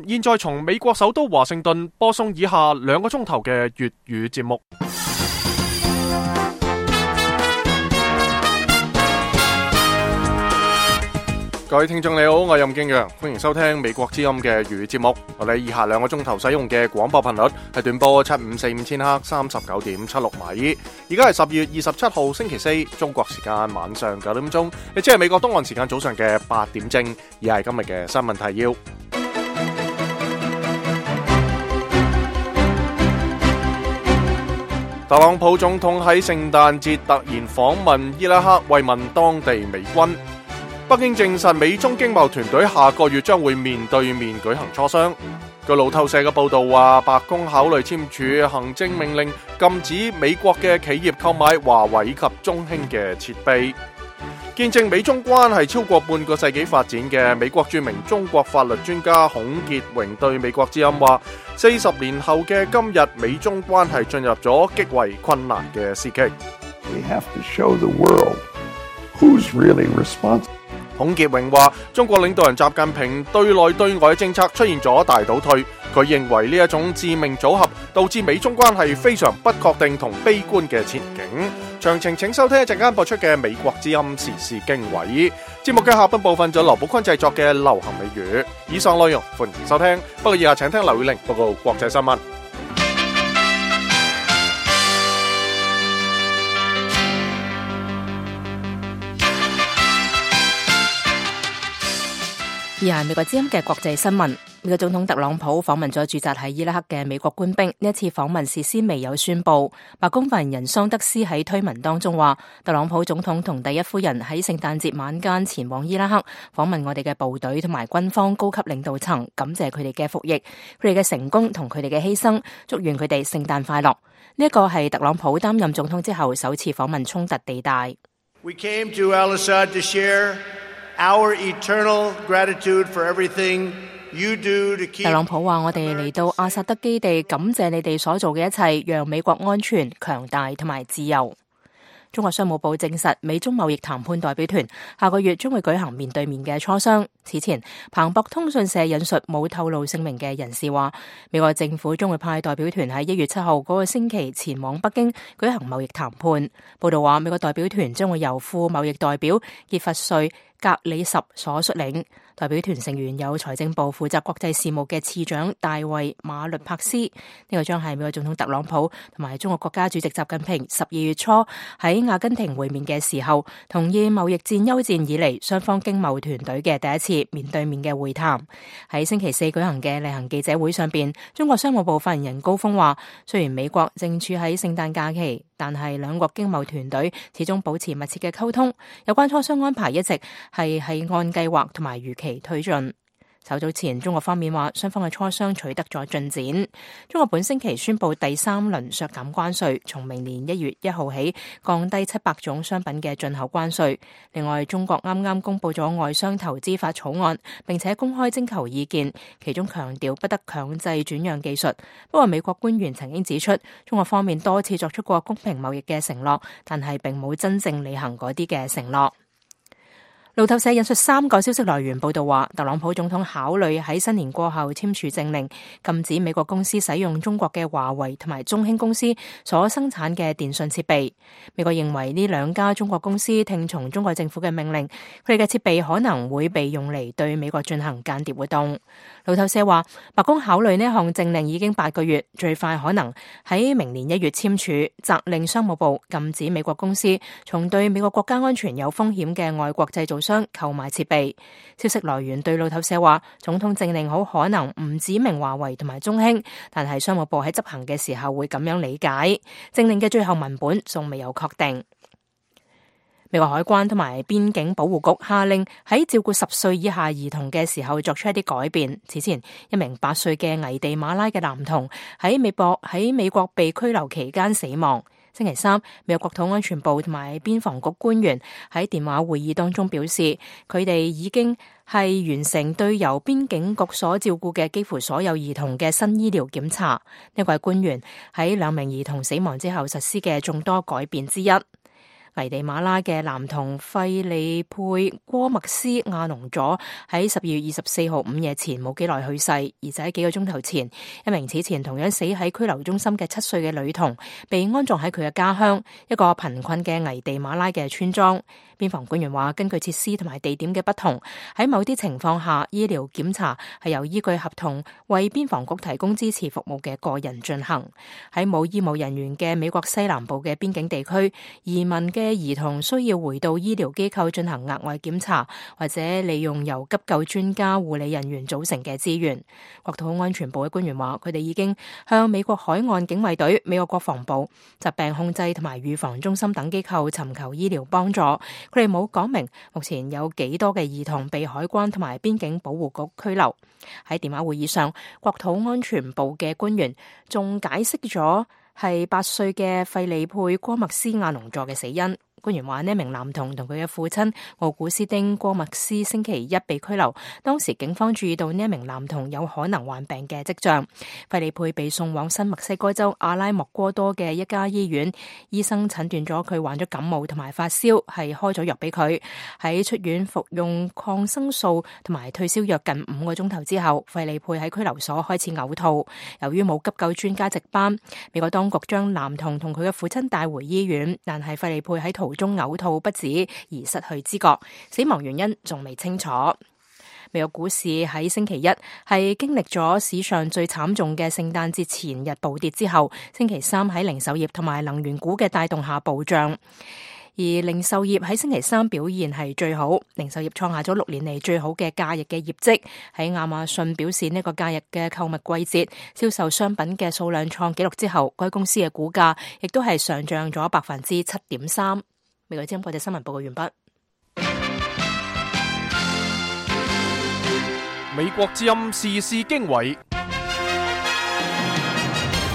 現在從美國首都華盛頓播送以下2個鐘頭嘅粵語節目。各位聽眾你好，我係任敬陽，歡迎收聽美國之音嘅粵語節目。我哋以下2個鐘頭使用嘅廣播頻率係短波7545000赫 39.76 米。而家係10月27號星期4，中國時間晚上9點鐘，亦即係美國東岸時間早上嘅8點正。以下係今日嘅新聞提要。特朗普總統喺聖誕節突然訪問伊拉克，慰問當地美軍。北京證實美中經貿團隊下個月將會面對面舉行磋商。據路透社嘅報道話，白宮考慮簽署行政命令，禁止美國嘅企業購買華為及中興嘅設備。見證美中關係超過半個世紀發展嘅美國著名中國法律專家孔傑榮對美國之音話：40年後嘅今日，美中關係進入咗極為困難嘅時期。We have to show the world who's really responsible. 孔傑榮話：中國領導人習近平對內對外政策出現咗大倒退，佢認為呢一種致命組合導致美中關係非常不確定同悲觀嘅前景。詳情請收聽一陣間播出嘅美國之音時事經緯。節目嘅下半部分就劉寶坤製作嘅流行美語。以上內容歡迎收聽，不過以下請聽劉宇玲報告國際新聞。以下係美國之音嘅國際新聞。美國總統特朗普訪問咗駐紮喺伊拉克嘅美國官兵，呢一次訪問事先未有宣佈。白宮發言人桑德斯喺推文當中話，特朗普總統同第一夫人喺聖誕節晚間前往伊拉克訪問我哋嘅部隊同埋軍方高級領導層，感謝佢哋嘅服役、佢哋嘅成功同佢哋嘅犧牲，祝願佢哋聖誕快樂。呢一個係特朗普擔任總統之後首次訪問衝突地帶。We came to Al-Assad to share our eternal gratitude for everything you do to keep。 特朗普話：我哋嚟到阿薩德基地，感謝你哋所做嘅一切，讓美國安全、強大同埋自由。中國商務部證實，美中貿易談判代表團下個月將會舉行面對面嘅磋商。此前，彭博通訊社引述冇透露姓名嘅人士話，美國政府將會派代表團喺1月7號嗰個星期前往北京舉行貿易談判。報道話，美國代表團將會由副貿易代表傑弗瑞格里什所率領。代表團成員有財政部負責國際事務嘅次長大衛馬律帕斯。呢個將係美國總統特朗普同埋中國國家主席習近平12月初喺阿根廷會面嘅時候，同意貿易戰休戰以嚟雙方經貿團隊嘅第一次面對面嘅會談。喺星期4舉行嘅例行記者會上邊，中國商務部發言人高峰話，雖然美國正處喺聖誕假期，但係兩國經貿團隊始終保持密切嘅溝通，有關磋商安排一直係按計劃同埋預期推進。稍早前，中國方面話雙方嘅磋商取得咗進展。中國本星期宣布第3輪削減關稅，從明年1月1號起降低700種商品嘅進口關稅。另外，中國啱啱公布咗外商投資法草案，並且公開徵求意見，其中強調不得強制轉讓技術。不過美國官員曾經指出，中國方面多次作出過公平貿易嘅承諾，但係並冇真正履行嗰啲嘅承諾。路透社引述3個消息來源報道話，特朗普總統考慮喺新年過後簽署政令，禁止美國公司使用中國嘅華為同埋中興公司所生產嘅電信設備。美國認為呢2家中國公司聽從中國政府嘅命令，佢哋嘅設備可能會被用嚟對美國進行間諜活動。路透社話，白宮考慮呢項政令已經8個月，最快可能喺明年1月簽署，責令商務部禁止美國公司從對美國國家安全有風險嘅外國製造商購買設備。消息來源對路透社話，總統政令好可能唔指明華為同埋中興，但係商務部喺執行嘅時候會咁樣理解。政令嘅最後文本仲未有確定。美國海關同埋邊境保護局下令喺照顧10歲以下兒童嘅時候作出一啲改變。此前，一名8歲嘅危地馬拉嘅男童喺美國被拘留期間死亡。星期3，美國國土安全部同埋邊防局官員喺電話會議當中表示，佢哋已經係完成對由邊境局所照顧嘅幾乎所有兒童嘅新醫療檢查。呢位官員喺2名兒童死亡之後實施嘅眾多改變之一。危地馬拉嘅男童費利佩戈麥斯亞農佐喺12月24號午夜前冇幾耐去世，而就喺幾個鐘頭前，一名此前同樣死喺拘留中心嘅7歲嘅女童被安葬喺佢嘅家鄉，一個貧困嘅危地馬拉嘅村莊。邊防官員話，根據設施同埋地點嘅不同，喺某啲情況下，醫療檢查係由依據合同為邊防局提供支持服務嘅個人進行。喺冇醫務人員嘅美國西南部嘅邊境地區，移民嘅兒童需要回到醫療機構進行額外檢查，或者利用由急救專家、護理人員組成嘅資源。國土安全部嘅官員話，佢哋已經向美國海岸警衛隊、美國國防部、疾病控制同埋預防中心等機構尋求醫療幫助。佢哋冇講明目前有幾多嘅兒童被海關同埋邊境保護局拘留。喺電話會議上，國土安全部嘅官員仲解釋咗係8歲嘅費利佩戈麥斯亞農佐嘅死因。官員話，呢名男童同佢嘅父親奧古斯丁戈麥斯星期一被拘留，當時警方注意到呢一名男童有可能患病嘅跡象。費利佩被送往新墨西哥州阿拉莫戈多嘅一家醫院，醫生診斷咗佢患咗感冒同埋發燒，係開咗藥俾佢。喺出院服用抗生素同埋退燒藥近5個鐘頭之後，費利佩喺拘留所開始嘔吐。由於冇急救專家值班，美國當局將男童同佢嘅父親帶回醫院，但係費利佩喺途中嘔吐不止而失去知覺，死亡原因仲未清楚。美國股市喺星期一係經歷咗史上最慘重嘅聖誕節前日暴跌之後，星期三喺零售業同埋能源股嘅帶動下暴漲。而零售業喺星期三表現係最好，零售業創下咗6年嚟最好嘅假日嘅業績。喺亞馬遜表示呢個假日嘅購物季節銷售商品嘅數量創紀錄之後，該公司嘅股價亦都係上漲咗7.3%。美國之音國際新聞報告完畢。美國之音時事經緯，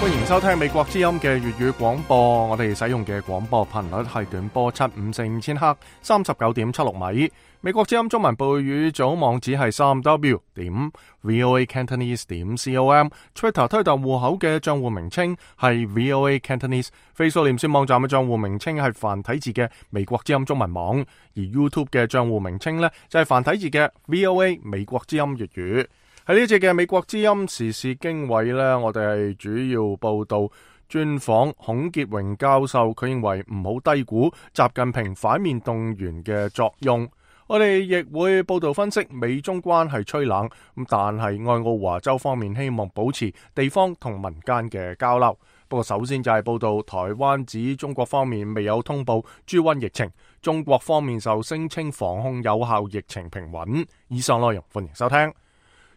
歡迎收聽美國之音嘅粵語廣播。我哋使用嘅廣播頻率係短波754千赫39.76米。美國之音中文部語組網址係3w.voacantonese.com。Twitter 推特戶口嘅賬戶名稱係 VOA Cantonese。Facebook 臉書網站嘅賬戶名稱係繁體字嘅美國之音中文網。而 YouTube 嘅賬戶名稱呢，就係繁體字嘅 VOA 美國之音粵語。喺呢節嘅美國之音時事經緯呢，我哋係主要報道專訪孔傑榮教授，佢認為唔好低估習近平反面動員嘅作用。我哋亦會報道分析美中關係趨冷，但係愛奧華州方面希望保持地方同民間嘅交流。不過首先就係報道台灣指中國方面未有通報豬瘟疫情，中國方面就聲稱防控有效，疫情平穩。以上內容歡迎收聽。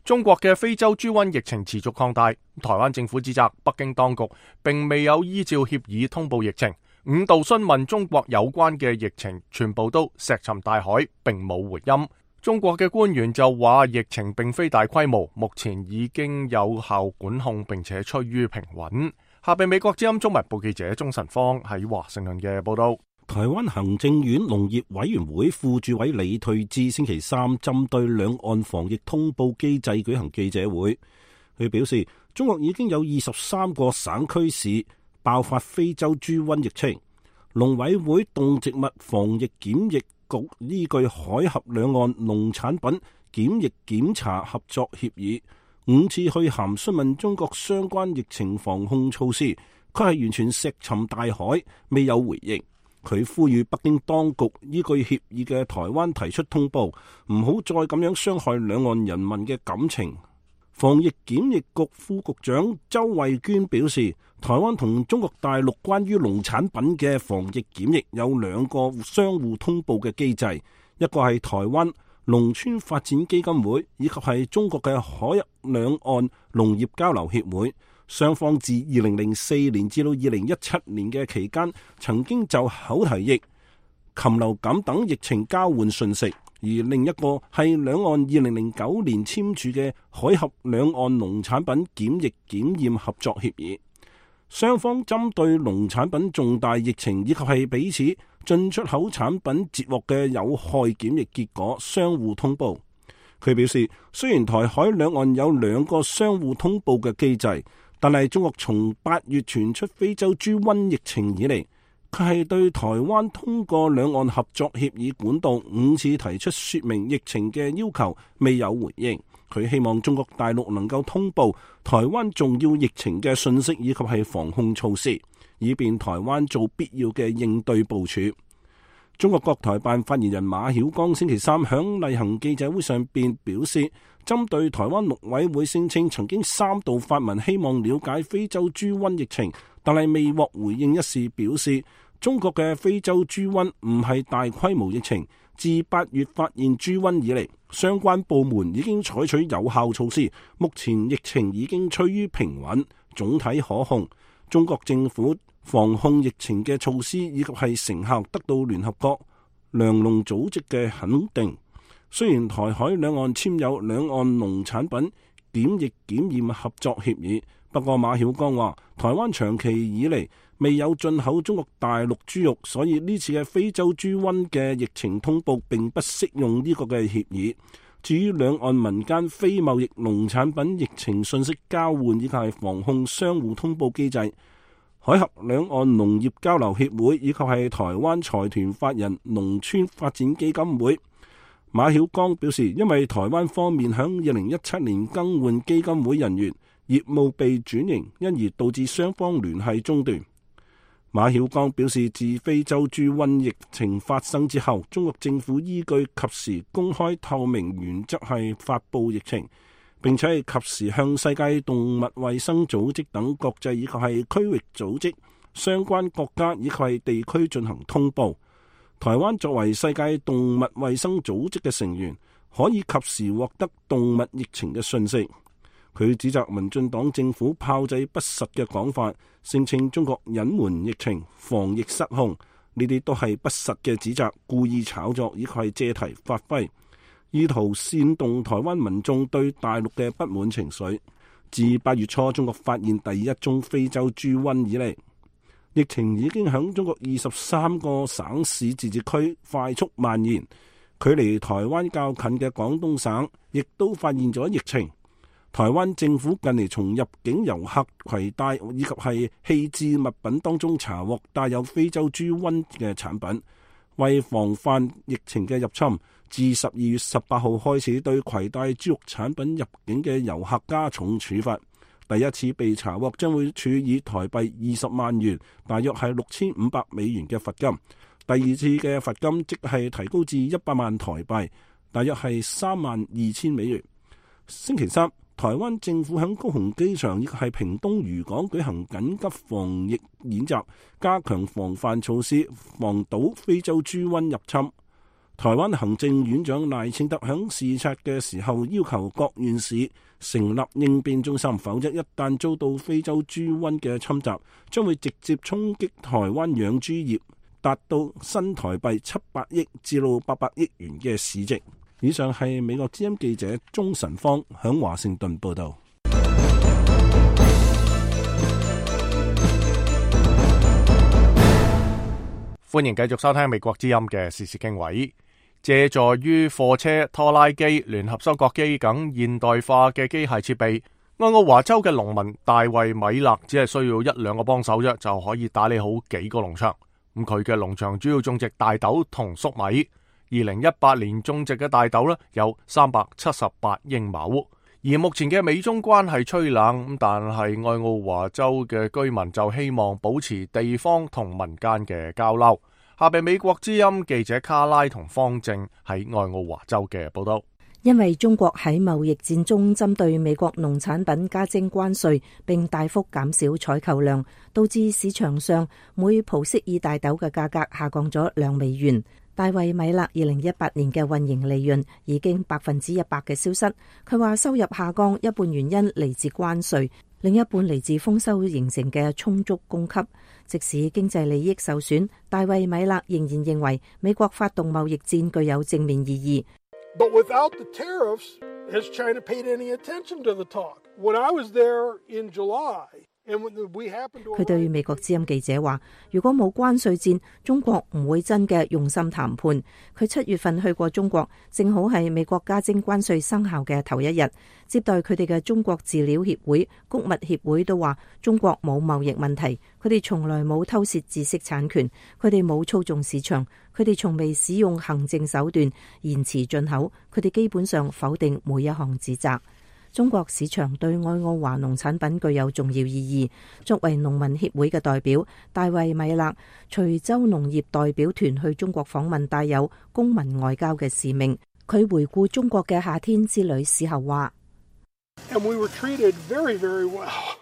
中國嘅非洲豬瘟疫情持續擴大，台灣政府指責北京當局並未有依照協議通報疫情，5度詢問中國有關嘅疫情，全部都石沉大海，並冇回音。中國嘅官員就話疫情並非大規模，目前已經有效管控，並且趨於平穩。下邊美國之音中文部記者鍾晨芳喺華盛頓嘅報道。台灣行政院農業委員會副主委李退智星期三針對兩岸防疫通報機制舉行記者會，佢表示中國已經有23個省區市爆發非洲豬瘟疫情，農委會動植物防疫檢疫局依據海峽兩岸農產品檢疫檢查合作協議5次去函詢問中國相關疫情防控措施，佢係完全石沉大海，未有回應。佢呼籲北京當局依據協議嘅台灣提出通報，唔好再咁樣傷害兩岸人民嘅感情。防疫檢疫局副局長周慧娟表示，台灣同中國大陸關於農產品嘅防疫檢疫有2個相互通報嘅機制，一個係台灣農村發展基金會，以及係中國嘅海峽兩岸農業交流協會。雙方自2004年至到2017年嘅期間，曾經就口蹄疫、禽流感等疫情交換信息，而另一個係兩岸2009年簽署嘅海峽兩岸農產品檢疫檢驗合作協議。雙方針對農產品重大疫情以及係彼此進出口產品截獲嘅有害檢疫結果相互通報。佢表示，雖然台海兩岸有2個相互通報嘅機制，但係中國從8月傳出非洲豬瘟疫情以嚟，佢係對台灣通過兩岸合作協議管道5次提出說明疫情嘅要求，未有回應。佢希望中國大陸能夠通報台灣重要疫情嘅信息以及係防控措施，以便台灣做必要嘅應對部署。中國國台辦發言人馬曉光星期三響例行記者會上邊表示，針對台灣陸委會聲稱曾經3度發文希望了解非洲豬瘟疫情，但係未獲回應一事表示，中國嘅非洲豬瘟唔係大規模疫情，自8月發現豬瘟以嚟，相關部門已經採取有效措施，目前疫情已經趨於平穩，總體可控。中國政府防控疫情嘅措施以及係成效得到聯合國糧農組織嘅肯定。雖然台海兩岸簽有兩岸農產品檢疫檢驗合作協議，不過馬曉光話，台灣長期以嚟未有進口中國大陸豬肉，所以呢次嘅非洲豬瘟嘅疫情通報並不適用呢個嘅協議。至於兩岸民間非貿易農產品疫情信息交換以及係防控相互通報機制，海峽兩岸農業交流協會以及係台灣財團法人農村發展基金會，馬曉光表示，因為台灣方面響2017年更換基金會人員，業務被轉型，因而導致雙方聯繫中斷。馬曉光表示，自非洲豬瘟疫情發生之後，中國政府依據及時公開透明原則係發布疫情，並且係及時向世界動物衛生組織等國際以及係區域組織、相關國家以及係地區進行通報。台灣作為世界動物衛生組織嘅成員，可以及時獲得動物疫情嘅訊息。佢指責民進黨政府炮製不實嘅講法，聲稱中國隱瞞疫情、防疫失控，呢啲都係不實嘅指責，故意炒作以及係借題發揮，意圖煽動台灣民眾對大陸嘅不滿情緒。自8月初中國發現第一宗非洲豬瘟以嚟，疫情已經響中國23個省市自治區快速蔓延，距離台灣較近嘅廣東省亦都發現咗疫情。台灣政府近嚟從入境遊客攜帶以及係棄置物品當中查獲帶有非洲豬瘟嘅產品，為防範疫情嘅入侵，自12月18號開始對攜帶豬肉產品入境嘅遊客加重處罰。第一次被查獲將會處以台幣20萬元，大約係6500美元嘅罰金；第二次嘅罰金即係提高至100萬台幣，大約係32000美元。星期三，台灣政府喺高雄機場以及係屏東漁港舉行緊急防疫演習，加強防範措施，防堵非洲豬瘟入侵。台灣行政院長賴清德喺視察嘅時候要求各縣市成立應變中心，否則一旦遭到非洲豬瘟嘅侵襲，將會直接衝擊台灣養豬業，達到新台幣700億至到800億元嘅市值。以上係美國之音記者鍾晨芳響華盛頓報道。歡迎繼續收聽美國之音嘅時事經緯。借助於貨車、拖拉機、聯合收割機等現代化嘅機械設備，愛奧華州嘅農民大衛米勒只係需要1-2個幫手啫，就可以打理好幾個農場。咁佢嘅農場主要種植大豆同粟米。2018年種植嘅大豆呢有378英畝。而目前嘅美中關係趨冷，但係愛奧華州嘅居民就希望保持地方同民間嘅交流。下邊美國之音記者卡拉同方正喺愛奧華州嘅報道。因為中國喺貿易戰中針對美國農產品加徵關稅，並大幅減少採購量，導致市場上每蒲式爾大豆嘅價格下降咗2美元。大衛米勒2018年嘅運營利潤已經100%嘅消失。佢話收入下降一半原因嚟自關稅，另一半嚟自豐收形成嘅充足供給。即使經濟利益受損，大衛米勒仍然認為美國發動貿易戰具有正面意義。But without the tariffs, has China paid any attention to the talk? When I was there in July, 佢對美國之音記者話，如果冇關稅戰，中國唔會真嘅用心談判。佢7月份去過中國，正好係美國加徵關稅生效嘅頭一日，接待佢哋嘅中國飼料協會、穀物協會都話中國冇貿易問題，佢哋從來冇偷竊知識產權，佢哋冇操縱市場，佢哋從未使用行政手段延遲進口，佢哋基本上否定每一項指責。中國市場對愛奧華農產品具有重要意義。作為農民協會嘅代表，大衛米勒隨州農業代表團去中國訪問，帶有公民外交嘅使命。佢回顧中國嘅夏天之旅時候話：And we were treated very, very well.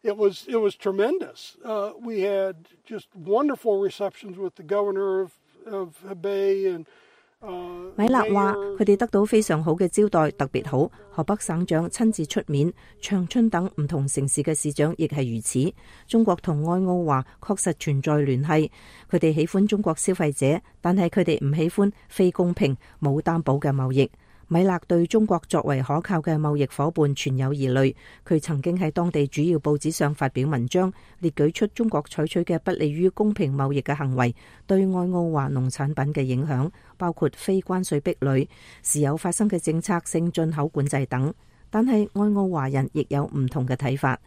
It was tremendous. We had just wonderful receptions with the governor of Hebei and米勒話佢哋得到非常好嘅招待，特別好。河北省長親自出面，長春等唔同城市嘅市長亦係如此。中國同愛奧華確實存在聯繫，佢哋喜歡中國消費者，但係佢哋唔喜歡非公平、冇擔保嘅貿易。米勒對中國作為可靠嘅貿易夥伴存有疑慮，佢曾經喺當地主要報紙上發表文章，列舉出中國採取嘅不利於公平貿易嘅行為對愛奧華農產品嘅影響，包括非關稅壁壘、時有發生嘅政策性進口管制等。但係愛奧華人亦有唔同嘅睇法。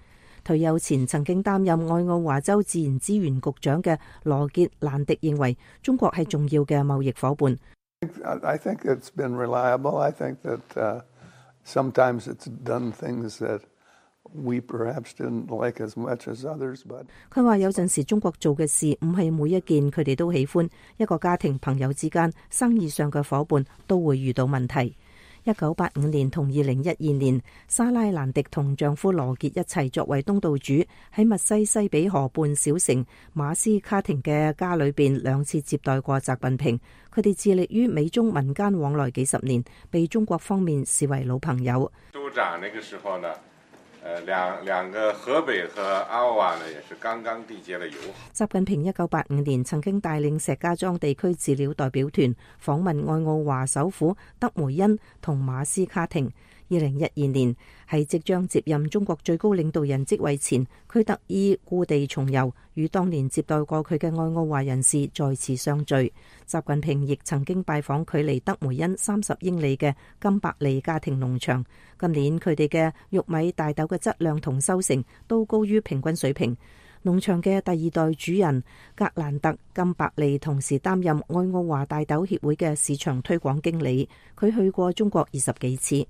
退休前曾經擔任愛奧華州自然資源局長嘅羅傑蘭迪認為，中國係重要嘅貿易夥伴。I think it's been reliable. I think that sometimes it's done things that we perhaps didn't like as much as others. But 佢話有陣時中國做嘅事唔係每一件佢哋都喜歡，一個家庭、朋友之間、生意上嘅夥伴都會遇到問題。1985年同2012年，莎拉蘭迪同丈夫羅傑一齊作為東道主，喺密西西比河畔小城馬斯卡廷嘅家裏邊2次接待過習近平。佢哋致力於美中民間往來幾十年，被中國方面視為老朋友。州長那個時候呢，兩個河北和愛奧華呢，也是剛剛締結了友好。習近平1985年曾經帶領石家莊地區飼料代表團訪問愛奧華首府德梅恩同馬斯卡廷。2012年喺即將接任中國最高領導人職位前，佢特意故地重遊，與當年接待過佢嘅愛奧華人士再次相聚。習近平亦曾經拜訪距離德梅恩30英里嘅金伯利家庭農場。今年佢哋嘅玉米、大豆嘅質量同收成都高於平均水平。農場嘅第2代主人格蘭特金伯利同時擔任愛奧華大豆協會嘅市場推廣經理。佢去過中國20幾次。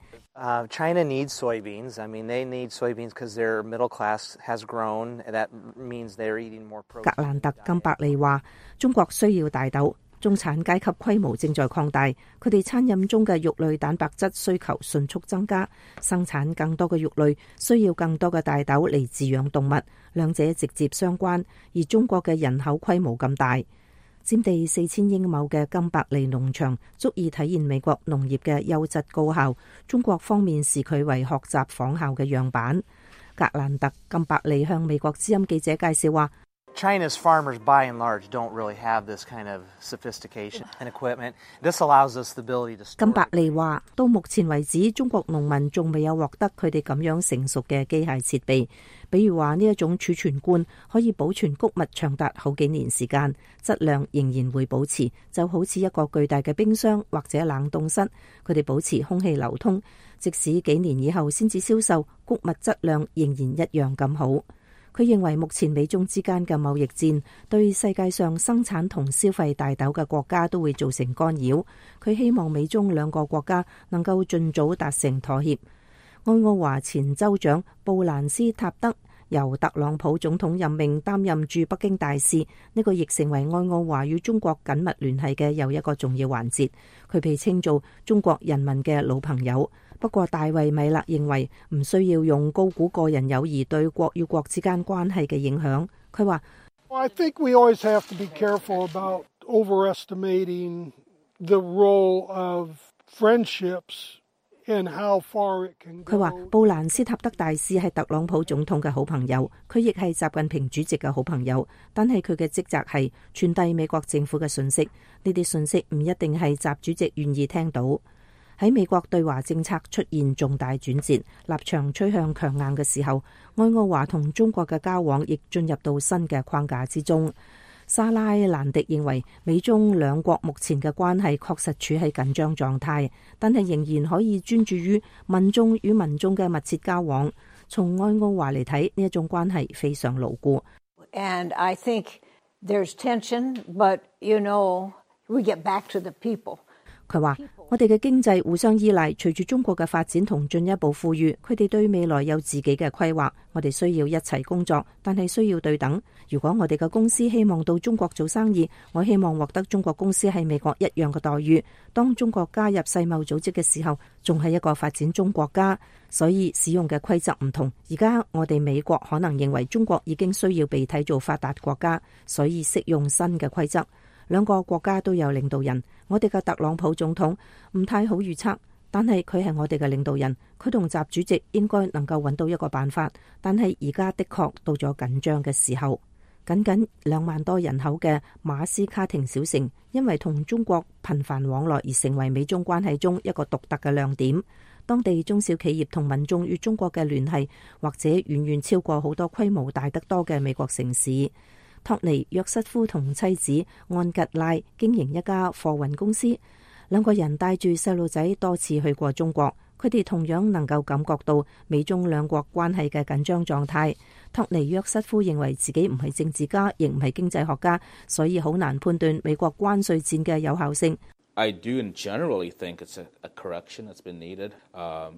China needs soybeans. I mean, they need soybeans because their middle class has grown. That means they're eating more protein. 格蘭特金伯利話：中國需要大豆，中產階級規模正在擴大，佢哋餐飲中嘅肉類蛋白質需求迅速增加，生產更多嘅肉類需要更多嘅大豆嚟飼養動物，兩者直接相關。而中國嘅人口規模咁大，佔地4000英畝嘅金伯利農場足以體現美國農業嘅優質高效。中國方面視佢為學習仿效嘅樣板。格蘭特金伯利向美國之音記者介紹話：China's farmers, by and large, don't really have this kind of sophistication and equipment. This allows us the ability to store. 金伯利話：到目前為止，中國農民仲未有獲得佢哋咁樣成熟嘅機械設備，比如話呢一種儲存罐可以保存穀物長達好幾年時間，質量仍然會保持，就好似一個巨大嘅冰箱或者冷凍室，佢哋保持空氣流通，即使幾年以後先至銷售，穀物質量仍然一樣咁好。佢認為目前美中之間嘅貿易戰對世界上生產同消費大豆嘅國家都會造成干擾。佢希望美中兩個國家能夠盡早達成妥協。愛奧華前州長布蘭斯塔德由特朗普總統任命擔任駐北京大使，呢個亦成為愛奧華與中國緊密聯繫嘅又一個重要環節。佢被稱做中國人民嘅老朋友。不過大衛米勒認為唔需要用高估個人友誼對國與國之間關係嘅影響。佢話I think we always have to be careful about overestimating the role of friendships and how far it can go。 佢話布蘭斯塔德大使係特朗普總統嘅好朋友，佢亦係習近平主席嘅好朋友，但係佢嘅職責係傳遞美國政府嘅信息，呢啲信息唔一定係習主席願意聽到。喺美國對華政策出現重大轉折，立場趨向強硬嘅時候，愛奧華同中國嘅交往亦進入到新嘅框架之中。莎拉蘭迪認為，美中兩國目前嘅關係確實處喺緊張狀態，但係仍然可以專注於民眾與民眾嘅密切交往。從愛奧華嚟睇，呢一種關係非常牢固。And I think there's tension, but you know, we get back to the people. 佢話：我哋嘅經濟互相依賴，隨住中國嘅發展同進一步富裕，佢哋對未來有自己嘅規劃。我哋需要一齊工作，但係需要對等。如果我哋嘅公司希望到中國做生意，我希望獲得中國公司喺美國一樣嘅待遇。當中國加入世貿組織嘅時候，仲係一個發展中國家，所以使用嘅規則唔同。而家我哋美國可能認為中國已經需要被睇做發達國家，所以適用新嘅規則。兩個國家都有領導人，我哋嘅特朗普總統唔太好預測，但係佢係我哋嘅領導人，佢同習主席應該能夠揾到一個辦法。但係而家的確到咗緊張嘅時候。僅2萬多人口嘅馬斯卡廷小城，因為同中國頻繁往來而成為美中關係中一個獨特嘅亮點。當地中小企業同民眾與中國嘅聯繫，或者遠遠超過好多規模大得多嘅美國城市。托尼約瑟夫同妻子安吉拉經營一家貨運公司，兩個人帶住細路仔多次去過中國，佢哋同樣能夠感覺到美中兩國關係嘅緊張狀態。托尼約瑟夫認為自己唔係政治家，亦唔係經濟學家，所以好難判斷美國關稅戰嘅有效性。I do generally think it's a correction that's been needed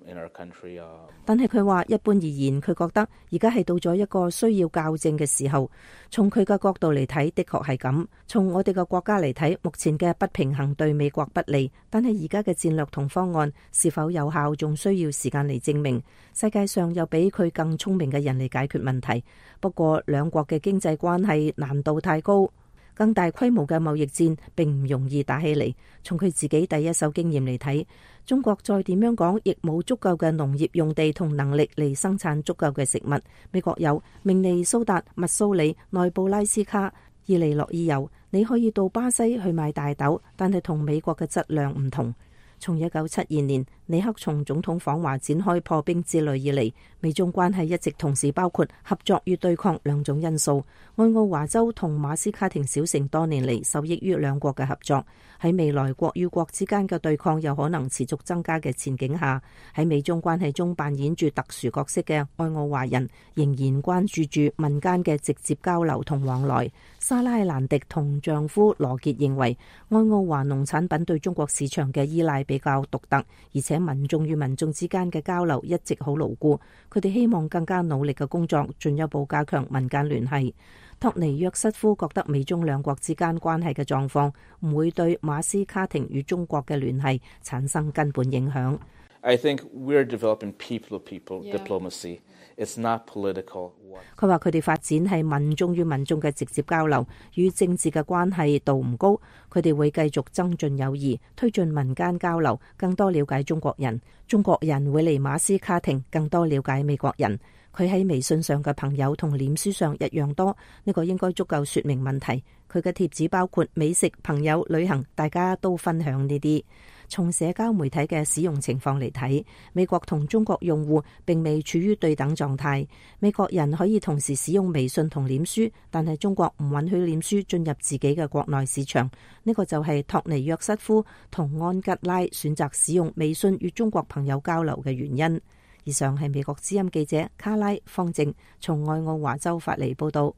in our country. 但係佢話一般而言，佢覺得而家係到咗一個需要校正嘅時候。從佢嘅角度嚟睇，的確係咁。從我哋嘅國家嚟睇，目前嘅不平衡對美國不利，但係而家嘅戰略同方案是否有效，仲需要時間嚟證明。世界上有比佢更聰明嘅人嚟解決問題。不過兩國嘅經濟關係難度太高。更大規模嘅貿易戰並唔容易打起嚟。從佢自己第一手經驗嚟睇，中國再點樣講，亦冇足夠嘅農業用地同能力嚟生產足夠嘅食物。美國有明尼蘇達、密蘇里、內布拉斯卡、伊利諾爾油，你可以到巴西去買大豆，但係同美國嘅質量唔同。從1972年尼克松總統訪華展開破冰之旅以嚟，美中關係一直同時包括合作與對抗兩種因素。愛奧華州同馬斯卡廷小城多年嚟受益於兩國嘅合作。喺未來國與國之間嘅對抗有可能持續增加嘅前景下，喺美中關係中扮演住特殊角色嘅愛奧華人仍然關注住民間嘅直接交流同往來。莎拉蘭迪同丈夫羅傑認為，愛奧華農產品對中國市場嘅依賴比較獨特，而且民眾與民眾之間嘅交流一直好牢固。佢哋希望更加努力嘅工作，進一步加強民間聯繫。托尼約瑟夫覺得美中兩國之間關係嘅狀況唔會對馬斯卡廷與中國嘅聯繫產生根本影響。I think we're developing people-to-people diplomacy. It's not political. 佢話佢哋發展係民眾與民眾嘅直接交流，與政治嘅關係度唔高。佢哋會繼續增進友誼，推進民間交流，更多了解中國人。中國人會嚟馬斯卡廷更多了解美國人。佢喺微信上嘅朋友同臉書上一樣多，呢個應該足夠說明問題。佢嘅貼紙包括美食、朋友、旅行，大家都分享呢啲。從社交媒體嘅使用情況嚟睇，美國同中國用戶並未處於對等狀態。美國人可以同時使用微信同臉書，但係中國唔允許臉書進入自己嘅國內市場。呢個就係托尼約瑟夫同安吉拉選擇使用微信與中國朋友交流嘅原因。以上係美國之音記者卡拉方正從愛奧華州發嚟報道。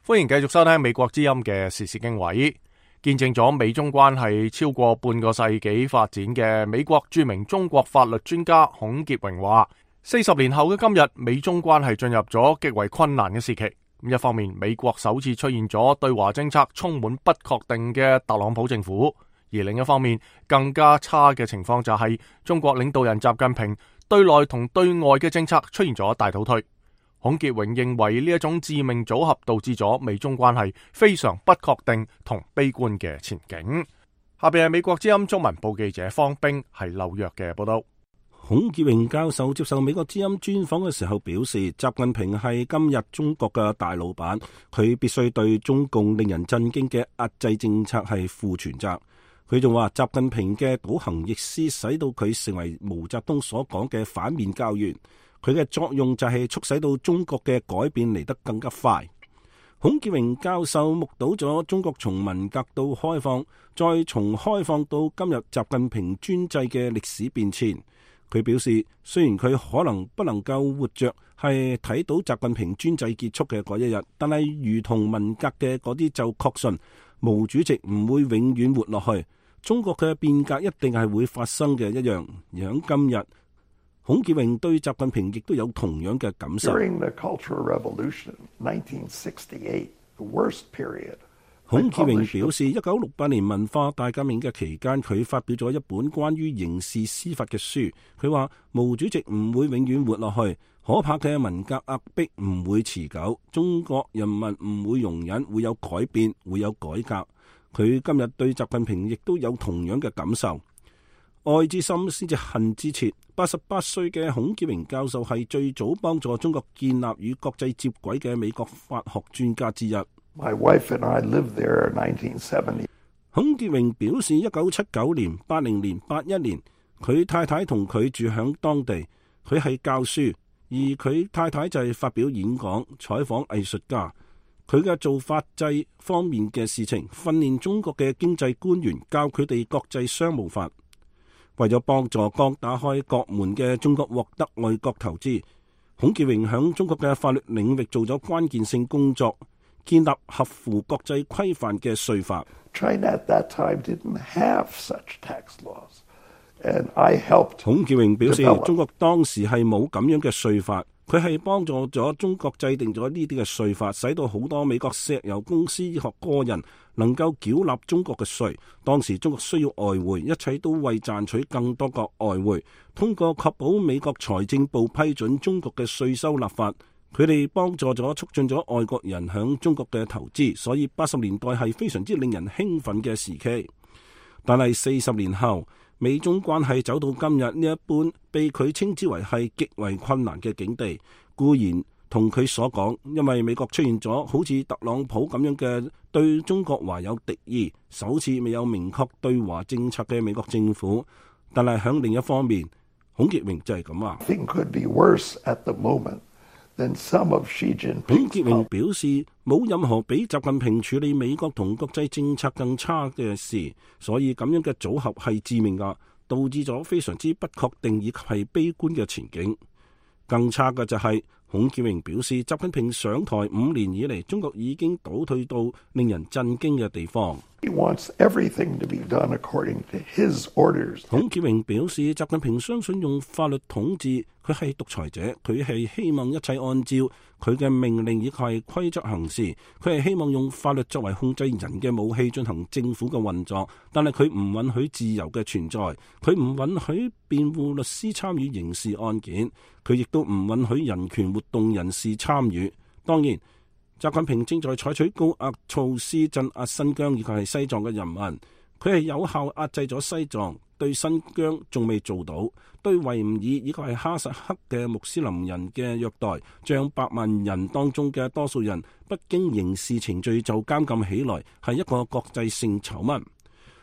歡迎繼續收聽美國之音嘅時事經緯。見證咗美中關係超過半個世紀發展嘅美國著名中國法律專家孔傑榮話，40年後嘅今日，美中關係進入咗極為困難嘅時期。一方面，美國首次出現咗對華政策充滿不確定嘅特朗普政府，而另一方面，更加差嘅情況就係中國領導人習近平對內同對外嘅政策出現咗大倒退。孔傑榮認為呢一種致命組合導致咗美中關係非常不確定同悲觀嘅前景。下邊係美國之音中文部記者方冰喺紐約嘅報道。孔潔榮教授接受美國之音專訪嘅時候表示，習近平係今日中國嘅大老闆，佢必須對中共令人震驚嘅壓制政策係負全責。佢仲話，習近平嘅倒行逆施使到佢成為毛澤東所講嘅反面教員，佢嘅作用就係促使到中國嘅改變嚟得更加快。孔潔榮教授目睹咗中國從文革到開放，再從開放到今日習近平專制嘅歷史變遷。佢表示，雖然佢可能不能夠活着係睇到習近平專制結束嘅嗰一日，但係如同文革嘅嗰啲就確信毛主席唔會永遠活落去，中國嘅變革一定係會發生嘅一樣。而喺今日，孔潔榮對習近平亦都有同樣嘅感受。During the Cultural Revolution, 1968, the worst period. 孔潔榮表示，1968年文化大革命嘅期間，佢發表咗一本關於刑事司法嘅書。佢話毛主席唔會永遠活落去，可怕嘅文革壓迫唔會持久，中國人民唔會容忍，會有改變，會有改革。佢今日對習近平亦都有同樣嘅感受。愛之深先至恨之切。88歲嘅孔潔榮教授係最早幫助中國建立與國際接軌嘅美國法學專家之一。My wife and I lived there in 1970. 孔潔榮表示，1979年、80年、81年，佢太太同佢住響當地。佢係教書，而佢太太就係發表演講、採訪藝術家。佢嘅做法制方面嘅事情，訓練中國嘅經濟官員，教佢哋國際商務法。為咗幫助剛打開國門嘅中國獲得外國投資，孔潔榮響中國嘅法律領域做咗關鍵性工作，建立合乎國際規範嘅稅法。China at that time didn't have such tax laws, and I helped. 孔潔榮表示，中國當時係冇咁樣嘅稅法，佢係幫助咗中國制定咗呢啲嘅稅法，使到好多美國石油公司和個人能夠繳納中國嘅稅。當時中國需要外匯，一切都為賺取更多個外匯。通過確保美國財政部批准中國嘅稅收立法，佢哋幫助咗促進咗外國人響中國嘅投資。所以80年代係非常之令人興奮嘅時期。但係40年後，美中關係走到今日呢一般，被佢稱之為係極為困難嘅境地。固然同佢所講，因為美國出現咗好似特朗普咁樣嘅對中國懷有敵意，首次未有明確對華政策嘅美國政府。但係響另一方面，孔潔榮就係咁話。孔潔榮表示，冇任何比習近平處理美國同國際政策更差嘅事，所以咁樣嘅組合係致命㗎，導致咗非常之不確定以及係悲觀嘅前景。更差嘅就係，孔潔榮表示，習近平上台5年以嚟，中國已經倒退到令人震驚嘅地方。He wants everything to be done according to his orders. 孔潔榮表示，習近平相信用法律統治，佢係獨裁者，佢係希望一切按照佢嘅命令以及係規則行事，佢係希望用法律作為控制人嘅武器進行政府嘅運作，但係佢唔允許自由嘅存在，佢唔允許辯護律師參與刑事案件，佢亦都唔允許人權活動人士參與。當然，習近平正在採取高壓措施鎮壓新疆以及係西藏嘅人民，佢係有效壓制咗西藏，對新疆仲未做到，對維吾爾以及係哈薩克嘅穆斯林人嘅虐待，將百萬人當中嘅多數人不經刑事程序就監禁起來，係一個國際性醜聞。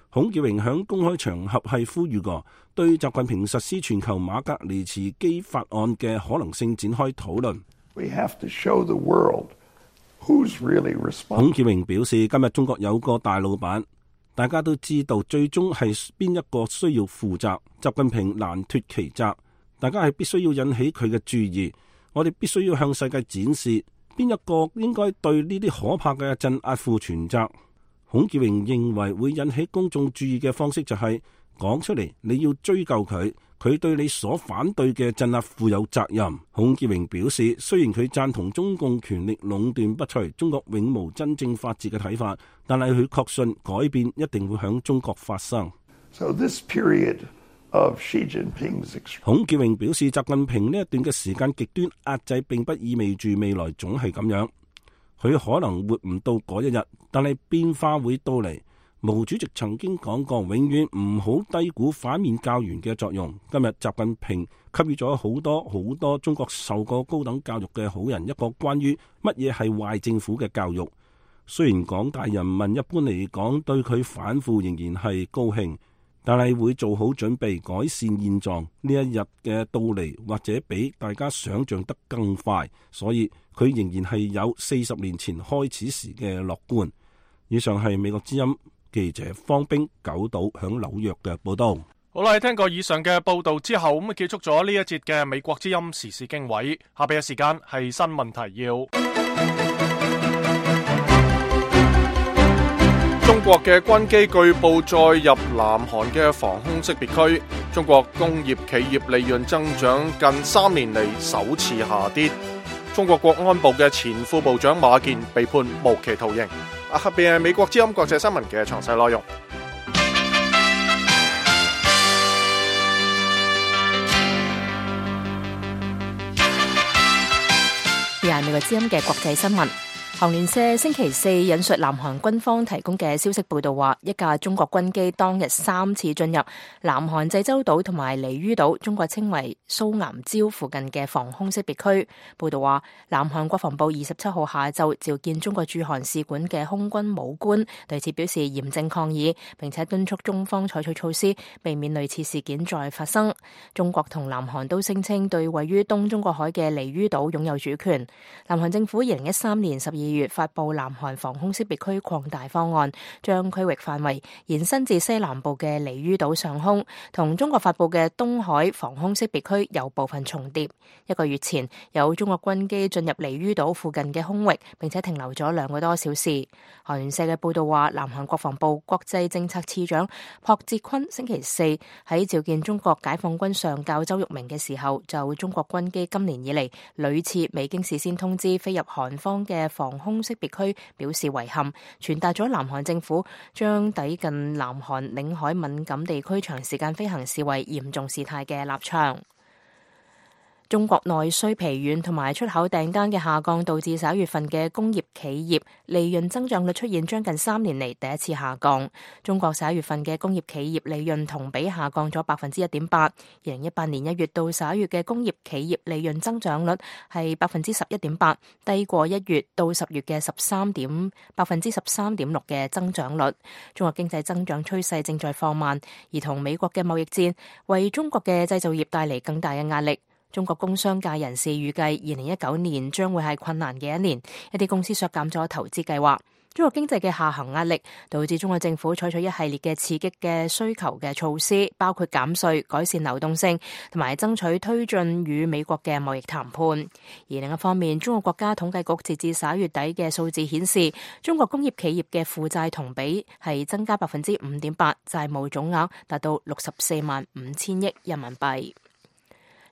孔潔榮響公開場合係呼籲過，對習近平實施全球馬格尼茨基法案嘅可能性展開討論。We have to show the world who's really responsible. 孔潔榮表示，今日中國有個大老闆，大家都知道最終係邊一個需要負責，習近平難脫其責，大家係必須要引起佢嘅注意，我哋必須要向世界展示邊一個應該對呢啲可怕嘅鎮壓負全責。孔潔榮認為會引起公眾注意嘅方式就係講出嚟，你要追究佢，佢對你所反對嘅鎮壓負有責任。孔潔榮表示，雖然佢贊同中共權力壟斷不除，中國永無真正法治嘅睇法，但係佢確信改變一定會響中國發生。So this period of Xi Jinping's... 孔潔榮表示，習近平呢一段嘅時間極端壓制並不意味住未來總係咁樣，佢可能活唔到嗰一日，但係變化會到嚟。毛主席曾經講過，永遠唔好低估反面教員嘅作用。今日習近平給予咗好多中國受過高等教育嘅好人一個關於乜嘢係壞政府嘅教育。雖然廣大人民一般嚟講對佢反腐仍然係高興，但係會做好準備改善現狀。呢一日嘅到嚟或者比大家想象得更快，所以佢仍然係有40年前開始時嘅樂觀。以上係美國之音記者方冰九島響紐約嘅報道。好啦，聽過以上嘅報道之後，咁結束咗呢一節嘅美國之音時事經緯。下邊嘅時間係新聞提要。中國嘅軍機據報載入南韓嘅防空識別區。中國工業企業利潤增長近3年嚟首次下跌。中國國安部嘅前副部長馬建被判無期徒刑。下邊係美國之音國際新聞嘅詳細內容。而係美國之音嘅國際新聞。韓聯社星期四引述南韓軍方提供嘅消息報道話，一架中國軍機當日3次進入南韓濟州島同埋梨於島，中國稱為蘇岩礁附近嘅防空識別區。報道話，南韓國防部27號下晝召見中國駐韓使館嘅空軍武官，對此表示嚴正抗議，並且敦促中方採取措施，避免類似事件再發生。中國同南韓都聲稱對位於東中國海嘅梨於島擁有主權。南韓政府2013年12月發布南韓防空識別區擴大方案，將區域範圍延伸至西南部嘅梨於島上空，同中國發布嘅東海防空識別區有部分重疊。1個月前，有中國軍機進入梨於島附近嘅空域，並且停留咗2個多小時。韓聯社嘅報道話，南韓國防部國際政策次長朴哲坤星期四喺召見中國解放軍上校周玉明嘅時候，就中國軍機今年以嚟屢次未經事先通知飛入韓方嘅防空識別區表示遺憾，傳達咗南韓政府將抵近南韓領海敏感地區長時間飛行視為嚴重事態嘅立場。中國內需疲軟同埋出口訂單嘅下降，導致11月份嘅工業企業利潤增長率出現將近3年嚟第一次下降。中國11月份嘅工業企業利潤同比下降咗1.8%。2018年1月到11月嘅工業企業利潤增長率係11.8%，低過1月到10月嘅13.6%嘅增長率。中國經濟增長趨勢正在放慢，而同美國嘅貿易戰為中國嘅製造業帶嚟更大嘅壓力。中國工商界人士預計2019年將會係困難嘅一年，一啲公司削減咗投資計劃。中國經濟嘅下行壓力導致中國政府採取一系列嘅刺激嘅需求嘅措施，包括減稅、改善流動性同埋爭取推進與美國嘅貿易談判。而另一方面，中國國家統計局截至11月底嘅數字顯示，中國工業企業嘅負債同比係增加5.8%，債務總額達到64.5億人民幣。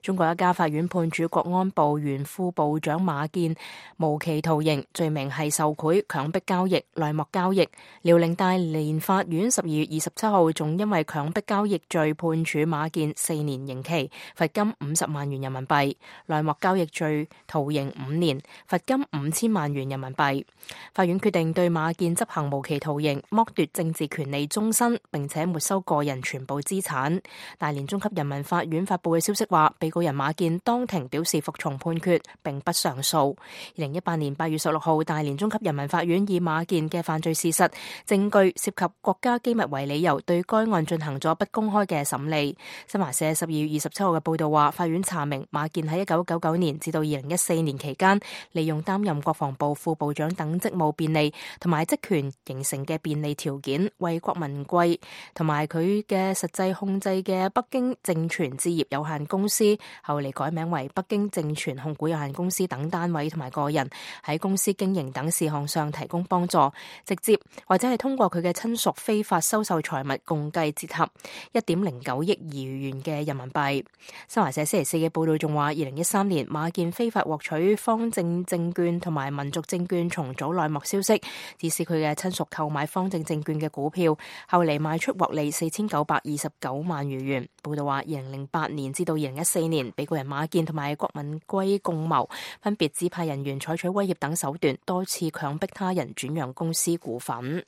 中國一家法院判處國安部原副部長馬建無期徒刑，罪名係受賄、強迫交易、內幕交易。遼寧大連法院12月27號仲因為強迫交易罪判處馬建4年刑期，罰金50萬元人民幣；內幕交易罪徒刑5年，罰金5000萬元人民幣。法院決定對馬建執行無期徒刑，剝奪政治權利終身，並且沒收個人全部資產。大連中級人民法院發布嘅消息話，被告人馬建當庭表示服從判決，並不上訴。2018年8月16號，大連中級人民法院以馬建嘅犯罪事實、證據涉及國家機密為理由，對該案進行咗不公開嘅審理。新華社12月27號嘅報道話，法院查明馬建喺1999年至到2014年期間，利用擔任國防部副部長等職務便利同埋職權形成嘅便利條件，為郭文貴同埋佢嘅實際控制嘅北京正傳置業有限公司，後嚟改名為北京正傳控股有限公司等單位同埋個人，喺公司經營等事項上提供幫助，直接或者係通過佢嘅親屬非法收受財物，共計折合1.09億餘元嘅人民幣。新華社星期四嘅報道仲話，2013年馬建非法獲取方正證券同埋民族證券重組內幕消息，指使佢嘅親屬購買方正證券嘅股票，後嚟賣出獲利4929萬餘元。報道話，2008年至到2014年，被告人馬建同埋郭文貴共謀，分別指派人員採取威脅等手段，多次強迫他人轉讓公司股份。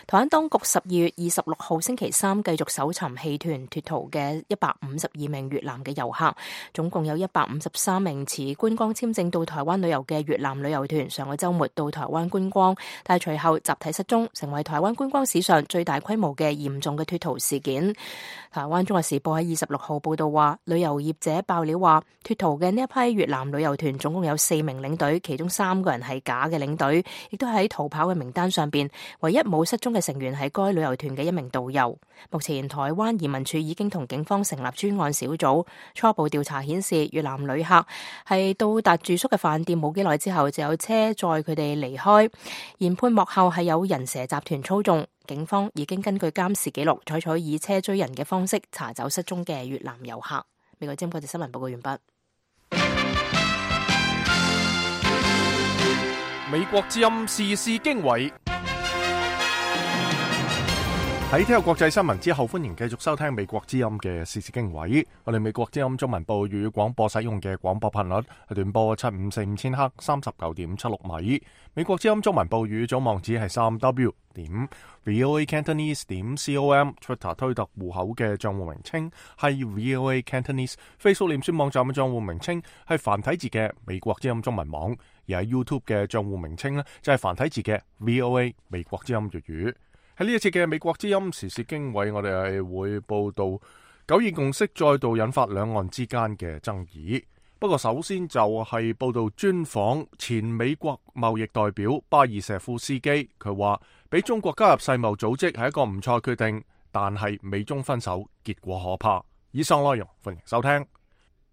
台灣當局12月26號星期三繼續搜尋棄團脫逃嘅152名越南嘅遊客，總共有153名持觀光簽證到台灣旅遊嘅越南旅遊團上個週末到台灣觀光，但係隨後集體失蹤，成為台灣觀光史上最大規模嘅嚴重嘅脫逃事件。台灣中國時報喺26號報道話，旅遊業者爆料話，脫逃嘅呢一批越南旅遊團總共有4名領隊，其中3個人係假嘅領隊，亦都喺逃跑嘅名單上邊，唯一冇失蹤嘅成員係該旅遊團嘅一名導遊。目前台灣移民署已經同警方成立專案小組，初步調查顯示，越南旅客係到達住宿嘅飯店冇幾耐之後就有車載佢哋離開，研判幕後係有人蛇集團操縱。警方已經根據監視記錄採取以車追人嘅方式查走失蹤嘅越南遊客。美國之音國際新聞報告完畢。美國之音時事經緯。喺聽日國際新聞之後，歡迎繼續收聽美國之音嘅時事經緯。我哋美國之音中文部粵語廣播使用嘅廣播頻率係短波7545000赫39.76米。美國之音中文部語組網址係3w.voacantonese.com。Twitter 推特戶口嘅賬戶名稱係 VOA Cantonese。Facebook 臉書網站嘅賬戶名稱係繁體字嘅美國之音中文網。而喺 YouTube 嘅賬戶名稱呢，就係繁體字嘅 VOA 美國之音粵語。喺呢一次嘅美國之音時事經緯，我哋係會報道九二共識再度引發兩岸之間嘅爭議。不過首先就係報道專訪前美國貿易代表巴爾舍夫斯基，佢話俾中國加入世貿組織係一個唔錯決定，但係美中分手結果可怕。以上內容歡迎收聽。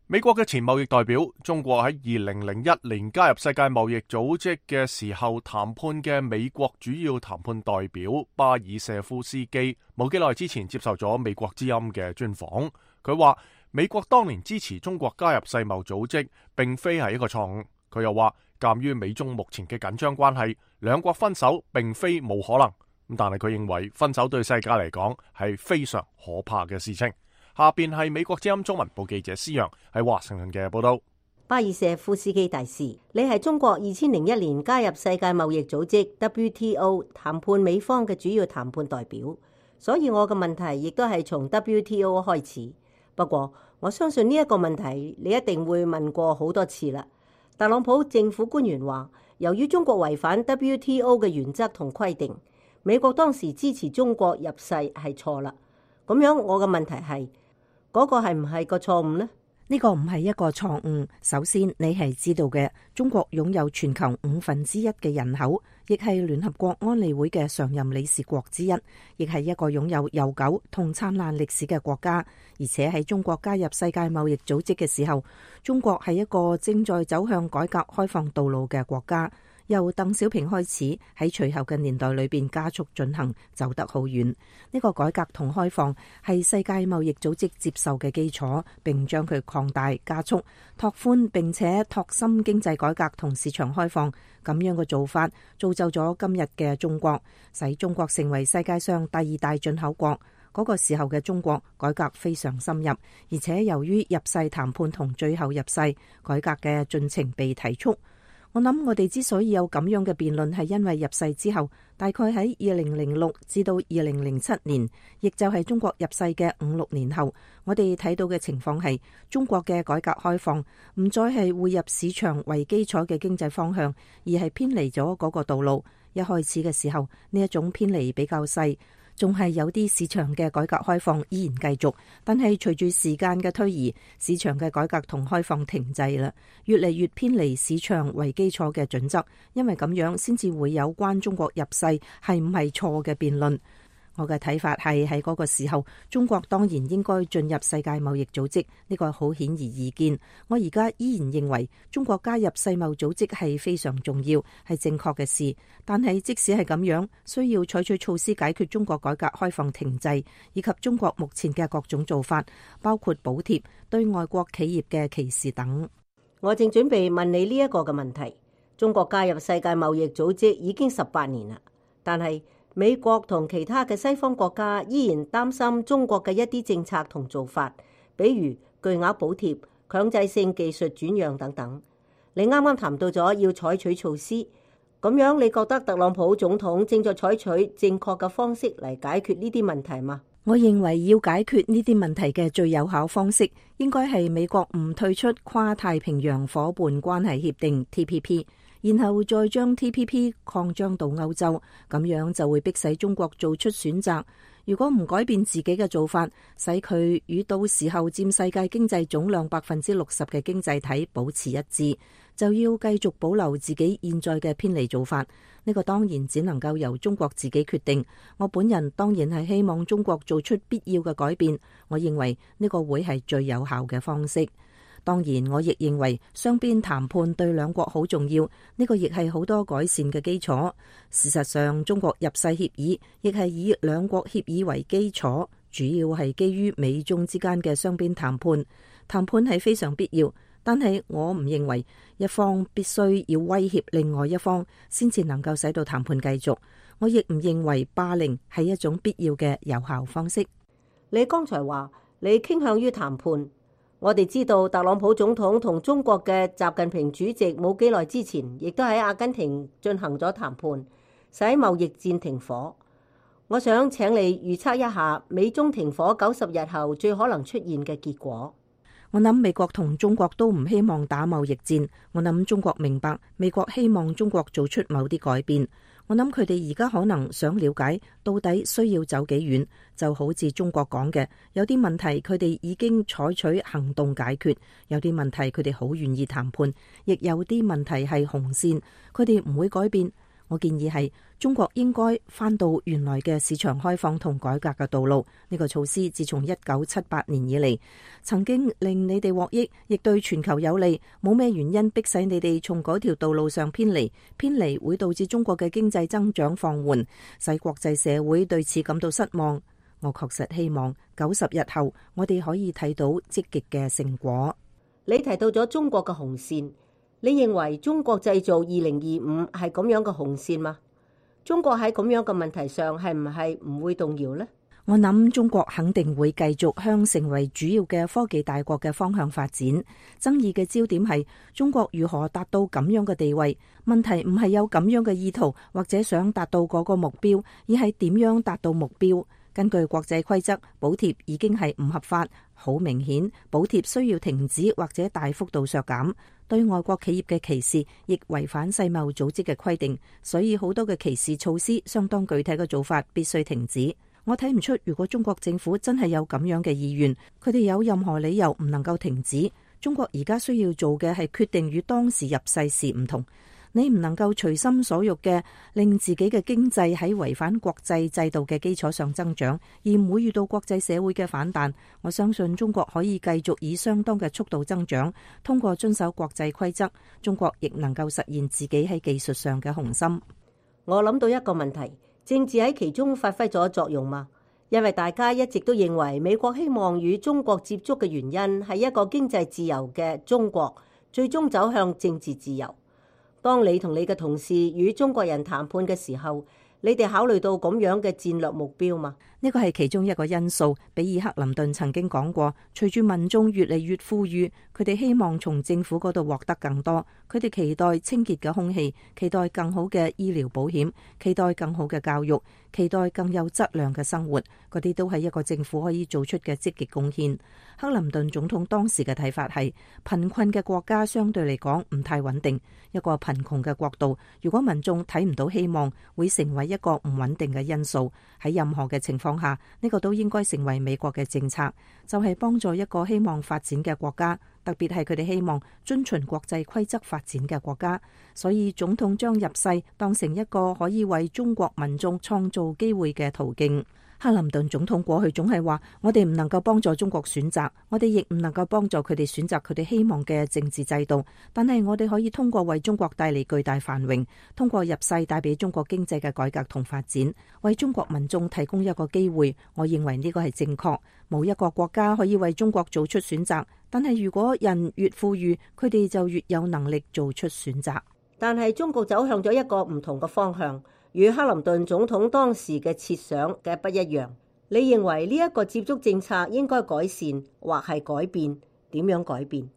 美國嘅前貿易代表，中國喺2001年加入世界貿易組織嘅時候談判嘅美國主要談判代表巴爾舍夫斯基，冇幾耐之前接受咗美國之音嘅專訪。佢話美國當年支持中國加入世貿組織，並非係一個錯誤。佢又話，鑒於美中目前嘅緊張關係，兩國分手並非冇可能。但係佢認為分手對世界嚟講係非常可怕嘅事情。下邊係美國之音中文部記者施陽喺華盛頓嘅報道。巴爾舍夫斯基大使，你係中國2001年加入世界貿易組織 WTO 談判美方嘅主要談判代表，所以我嘅問題亦都係從 WTO 開始。不過我相信呢一個問題你一定會問過好多次啦。特朗普政府官員話，由於中國違反 WTO 嘅原則同規定，美國當時支持中國入世係錯啦。咁樣我嘅問題係，嗰個係唔係個錯誤呢？呢個唔係一個錯誤。首先，你係知道嘅，中國擁有全球1/5嘅人口，亦係聯合國安理會嘅常任理事國之一，亦係一個擁有悠久同燦爛歷史嘅國家。而且喺中國加入世界貿易組織嘅時候，中國係一個正在走向改革開放道路嘅國家。由鄧小平開始，喺隨後嘅年代裏邊加速進行，走得好遠。呢個改革同開放係世界貿易組織接受嘅基礎，並將佢擴大、加速、拓寬，並且拓深經濟改革同市場開放。咁樣嘅做法造就咗今日嘅中國，使中國成為世界上第2大進口國。嗰個時候嘅中國改革非常深入，而且由於入世談判同最後入世改革嘅進程被提速。我諗我哋之所以有咁樣嘅辯論，係因為入世之後，大概喺2006至到2007年，亦就係中國入世嘅5-6年後，我哋睇到嘅情況係中國嘅改革開放唔再係匯入市場為基礎嘅經濟方向，而係偏離咗嗰個道路。一開始嘅時候，呢一種偏離比較細，仲係有啲市場嘅改革開放依然繼續，但係隨住時間嘅推移，市場嘅改革同開放停滯啦，越嚟越偏離市場為基礎嘅準則，因為咁樣先至會有關中國入世係唔係錯嘅辯論。我嘅睇法係喺嗰個時候，中國當然應該進入世界貿易組織，呢個好顯而易見。我而家依然認為中國加入世貿組織係非常重要，係正確嘅事。但係即使係咁樣，需要採取措施解決中國改革開放停滯，以及中國目前嘅各種做法，包括補貼、對外國企業嘅歧視等。我正準備問你呢一個嘅問題。中國加入世界貿易組織已經18年啦，但係美國同其他嘅西方國家依然擔心中國嘅一啲政策同做法，比如巨額補貼、強制性技術轉讓等等。你啱啱談到咗要採取措施，咁樣你覺得特朗普總統正在採取正確嘅方式嚟解決呢啲問題嗎？我認為要解決呢啲問題嘅最有效方式，應該係美國唔退出跨太平洋夥伴關係協定 TPP， 然後再將 TPP 擴張到歐洲，咁樣就會迫使中國做出選擇。如果唔改變自己嘅做法，使佢與到時候佔世界經濟總量60%嘅經濟體保持一致，就要繼續保留自己現在嘅偏離做法。呢個當然只能夠由中國自己決定。我本人當然係希望中國做出必要嘅改變。我認為呢個會係最有效嘅方式。當然，我亦認為雙邊談判對兩國好重要，呢個亦係好多改善嘅基礎。事實上，中國入世協議亦係以兩國協議為基礎，主要係基於美中之間嘅雙邊談判。談判係非常必要，但係我唔認為一方必須要威脅另外一方先至能夠使到談判繼續。我亦唔認為霸凌係一種必要嘅有效方式。你剛才話你傾向於談判。我哋知道特朗普總統同中國嘅習近平主席冇幾耐之前，亦都喺阿根廷進行咗談判，使貿易戰停火。我想請你預測一下美中停火90日後最可能出現嘅結果。我諗美國同中國都唔希望打貿易戰。我諗中國明白美國希望中國做出某啲改變。我諗佢哋而家可能想了解到底需要走幾遠，就好似中國講嘅，有啲問題佢哋已經採取行動解決，有啲問題佢哋好願意談判，亦有啲問題係紅線，佢哋唔會改變。我建議係中國應該返到原來嘅市場開放同改革嘅道路。呢個措施自從1978年以嚟，曾經令你哋獲益，亦對全球有利，冇咩原因迫使你哋從嗰條道路上偏離。偏離會導致中國嘅經濟增長放緩，使國際社會對此感到失望。我確實希望90日後我哋可以睇到積極嘅成果。你提到咗中國嘅紅線。你認為中國製造2025係咁樣嘅紅線嗎？中國喺咁樣嘅問題上係唔係唔會動搖呢？我諗中國肯定會繼續向成為主要嘅科技大國嘅方向發展。爭議嘅焦點係中國如何達到咁樣嘅地位。問題唔係有咁樣嘅意圖或者想達到嗰個目標，而係點樣達到目標。根據國際規則，補貼已經係唔合法，好明顯，補貼需要停止或者大幅度削減。對外國企業嘅歧視亦違反世貿組織嘅規定，所以好多嘅歧視措施相當具體嘅做法必須停止。我睇唔出如果中國政府真係有咁樣嘅意願，佢哋有任何理由唔能夠停止。中國而家需要做嘅係決定與當時入世時唔同。你唔能夠隨心所欲嘅令自己嘅經濟喺違反國際制度嘅基礎上增長，而唔會遇到國際社會嘅反彈。我相信中國可以繼續以相當嘅速度增長，通過遵守國際規則，中國亦能夠實現自己喺技術上嘅雄心。我諗到一個問題，政治喺其中發揮咗作用嗎？因為大家一直都認為美國希望與中國接觸嘅原因係一個經濟自由嘅中國最終走向政治自由。當你同你嘅同事與中國人談判嘅時候，你哋考慮到咁樣嘅戰略目標嗎？呢個係其中一個因素。比爾克林頓曾經講過，隨住民眾越嚟越富裕，佢哋希望從政府嗰度獲得更多。佢哋期待清潔嘅空氣，期待更好嘅醫療保險，期待更好嘅教育，期待更有質量嘅生活。嗰啲都係一個政府可以做出嘅積極貢獻。克林頓總統當時嘅睇法係，貧困嘅國家相對嚟講唔太穩定。一個貧窮嘅國度，如果民眾睇唔到希望，會成為一個唔穩定嘅因素。喺任何嘅情況下，呢個都應該成為美國嘅政策，就係幫助一個希望發展嘅國家，特別係佢哋希望遵循國際規則發展嘅國家。所以總統將入世當成一個可以為中國民眾創造機會嘅途徑。克林頓總統過去總係話，我哋唔能夠幫助中國選擇，我哋亦唔能夠幫助佢哋選擇佢哋希望嘅政治制度，但係我哋可以通過為中國帶嚟巨大繁榮，通過入世帶俾中國經濟嘅改革同發展，為中國民眾提供一個機會。我認為呢個係正確。冇一個國家可以為中國做出選擇，但係如果人越富裕，佢哋就越有能力做出選擇。但係中國走向咗一個唔同嘅方向，與克林頓總統當時嘅設想嘅不一樣。你認為呢一個接觸政策應該改善或係改變？點樣改變？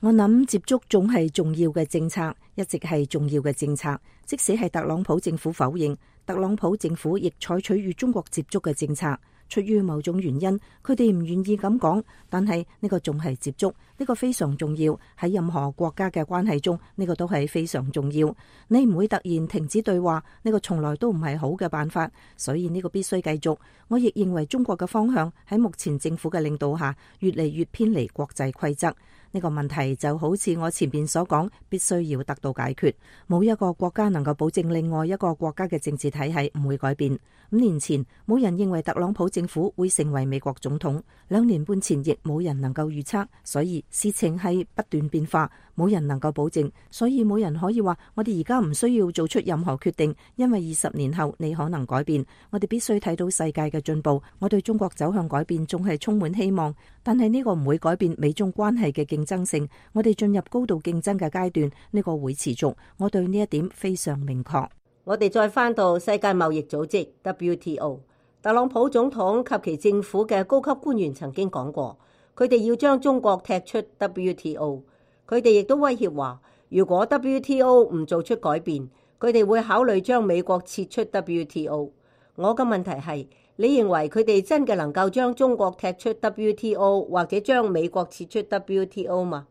我諗接觸總係重要嘅政策，一直係重要嘅政策。即使係特朗普政府否認，特朗普政府亦採取與中國接觸嘅政策。出於某種原因，佢哋唔願意咁講，但係呢個仲係接觸，呢個非常重要。喺任何國家嘅關係中，呢個都係非常重要。你唔會突然停止對話，呢個從來都唔係好嘅辦法，所以呢個必須繼續。我亦認為中國嘅方向喺目前政府嘅領導下，越嚟越偏離國際規則。呢個問題就好似我前面所講，必須要得到解決。冇一個國家能夠保證另外一個國家嘅政治體系唔會改變。5年前，冇人認為特朗普政府會成為美國總統，2年半前亦冇人能夠預測，所以事情係不斷變化，冇人能夠保證，所以冇人可以話我哋而家唔需要做出任何決定，因為20年後你可能改變。我哋必須睇到世界嘅進步，我對中國走向改變仲係充滿希望，但係呢個唔會改變美中關係嘅競爭性。我哋進入高度競爭嘅階段，呢個會持續，我對呢一點非常明確。我哋再翻到世界貿易組織 WTO， 特朗普總統及其政府嘅高級官員曾經講過，佢哋要將中國踢出 WTO。 佢哋亦都威脅話，如果 WTO 唔做出改變，佢哋會考慮將美國撤出 WTO。 我嘅問題係，你認為佢哋真嘅能夠將中國踢出 WTO 或者將美國撤出 WTO 嗎？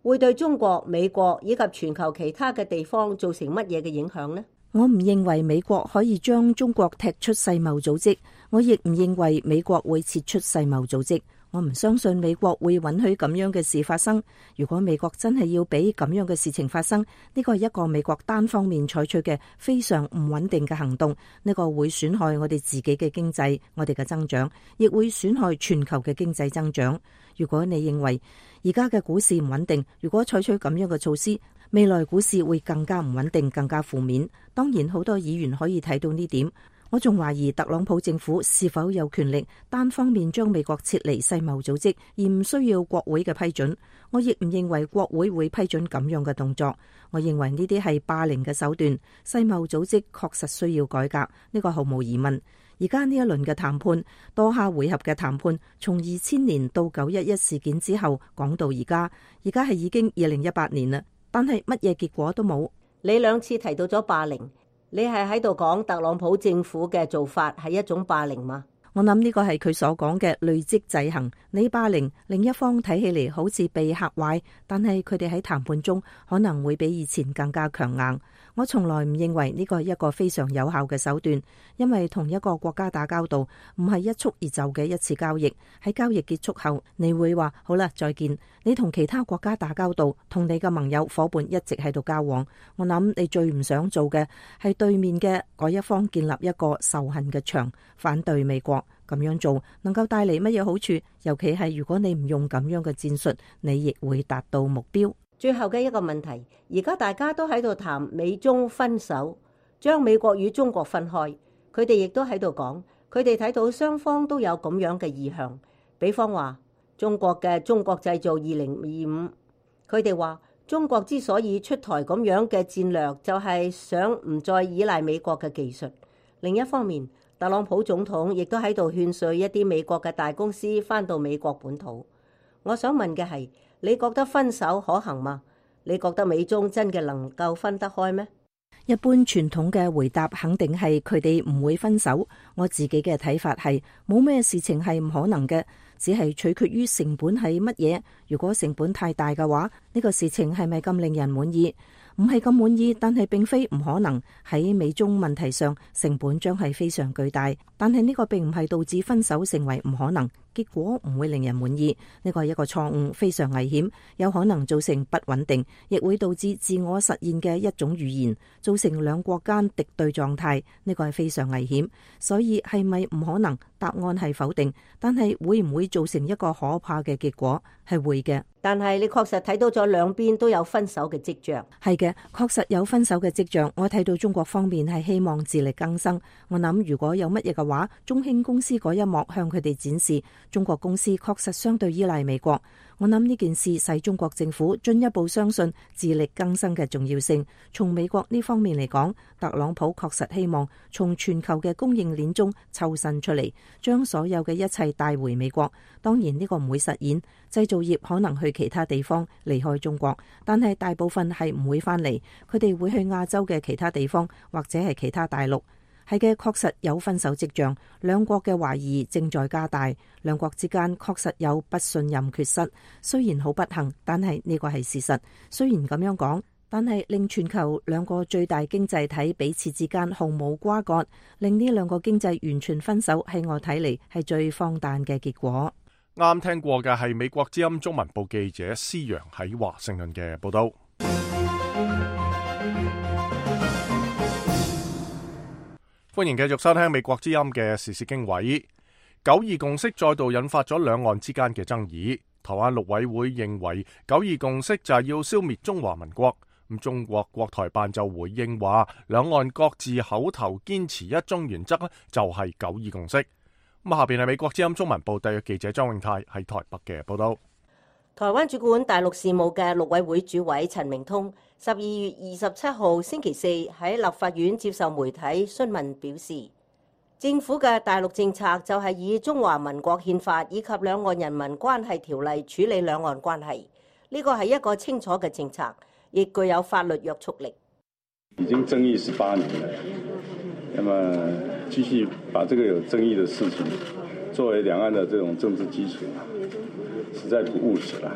會對中國、美國以及全球其他嘅地方造成乜嘢嘅影響呢？我唔認為美國可以將中國踢出世貿組織，我亦唔認為美國會撤出世貿組織。我唔相信美國會允許咁樣嘅事發生。如果美國真係要俾咁樣嘅事情發生，呢個係一個美國單方面採取嘅非常唔穩定嘅行動，呢個會損害我哋自己嘅經濟，我哋嘅增長，亦會損害全球嘅經濟增長。如果你認為而家嘅股市唔穩定，如果採取咁樣嘅措施，未來股市會更加唔穩定，更加負面。當然，好多議員可以睇到呢點。我仲懷疑特朗普政府是否有權力單方面將美國撤離世貿組織，而唔需要國會嘅批准。我亦唔認為國會會批准咁樣嘅動作。我認為呢啲係霸凌嘅手段。世貿組織確實需要改革，呢個毫無疑問。而家呢一輪嘅談判，多下回合嘅談判，從2000年到911事件之後講到而家係已經2018年啦，但係乜嘢結果都冇。你2次提到咗霸凌，你係喺度講特朗普政府嘅做法係一種霸凌嗎？我諗呢個係佢所講嘅累積制衡。你霸凌另一方睇起嚟好似被嚇壞，但係佢哋喺談判中可能會比以前更加強硬。我從來唔認為呢個係一個非常有效嘅手段，因為同一個國家打交道唔係一蹴而就嘅一次交易。喺交易結束後，你會話好啦，再見。你同其他國家打交道，同你嘅盟友夥伴一直喺度交往。我諗你最唔想做嘅係對面嘅嗰一方建立一個仇恨嘅牆，反對美國。咁樣做能夠帶嚟乜嘢好處？尤其係如果你唔用咁樣嘅戰術，你亦會達到目標。最後嘅一個問題，而家大家都喺度談美中分手，將美國與中國分開。佢哋亦都喺度講，佢哋睇到雙方都有咁樣嘅意向。比方話中國嘅中國製造2025，佢哋話中國之所以出台咁樣嘅戰略，就係想唔再依賴美國嘅技術。另一方面，特朗普總統亦都喺度勸說一啲美國嘅大公司返到美國本土。我想問嘅係，你覺得分手可行嗎？你覺得美中真嘅能夠分得開咩？一般傳統嘅回答肯定係佢哋唔會分手。我自己嘅睇法係冇咩事情係唔可能嘅，只係取決於成本係乜嘢。如果成本太大嘅話，呢個事情係咪咁令人滿意？唔係咁滿意，但係並非唔可能。喺美中問題上，成本將係非常巨大，但係呢個並唔係導致分手成為唔可能。結果唔會令人滿意，呢個係一個錯誤，非常危險，有可能造成不穩定，亦會導致自我實現嘅一種預言，造成兩國間敵對狀態，呢個係非常危險。所以係咪唔可能？答案係否定，但係會唔會造成一個可怕嘅結果？係會嘅。但係你確實睇到咗兩邊都有分手嘅跡象。係嘅，確實有分手嘅跡象。我睇到中國方面係希望自力更生。我諗如果有乜嘢嘅話，中興公司嗰一幕向佢哋展示，中國公司確實相對依賴美國。我諗呢件事使中國政府進一步相信自力更生嘅重要性。從美國呢方面嚟講，特朗普確實希望從全球嘅供應鏈中抽身出嚟，將所有嘅一切帶回美國。當然呢個唔會實現，製造業可能去其他地方離開中國，但係大部分係唔會翻嚟，佢哋會去亞洲嘅其他地方或者係其他大陸。係嘅，確實有分手跡象，兩國嘅懷疑正在加大，兩國之間確實有不信任缺失。雖然好不幸，但係呢個係事實。雖然咁樣講，但係令全球兩個最大經濟體彼此之間毫無瓜葛，令呢兩個經濟完全分手，喺我睇嚟係最荒誕嘅結果。啱聽過嘅係美國之音中文部記者施陽喺華盛頓嘅報道。歡迎繼續收聽美國之音嘅時事經緯。九二共識再度引發咗兩岸之間嘅爭議。台灣陸委會認為九二共識就係要消滅中華民國。咁中國國台辦就回應話，兩岸各自口頭堅持一中原則就係九二共識。咁下邊係美國之音中文部特約記者張永泰喺台北嘅報道。台灣主管大陸事務嘅陸委會主委陳明通12月27號星期四喺立法院接受媒體詢問表示，政府嘅大陸政策就係以中華民國憲法以及兩岸人民關係條例處理兩岸關係，呢個係一個清楚嘅政策，亦具有法律約束力。已經爭議18年了，那麼繼續把這個有爭議的事情作為兩岸的這種政治基礎，實在不務實啦。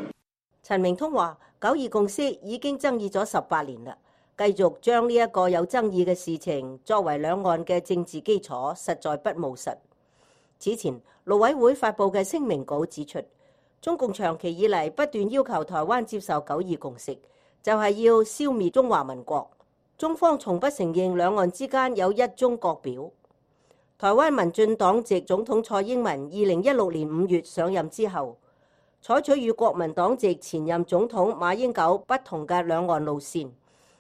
陳明通話：9·2共識已經爭議咗18年啦，繼續將呢一個有爭議嘅事情作為兩岸嘅政治基礎，實在不務實。此前，陸委會發布嘅聲明稿指出，中共長期以嚟不斷要求台灣接受9·2共識，就係要消滅中華民國。中方從不承認兩岸之間有一中國表。台灣民進黨籍總統蔡英文2016年5月上任之後，採取與國民黨籍前任總統馬英九不同嘅兩岸路線，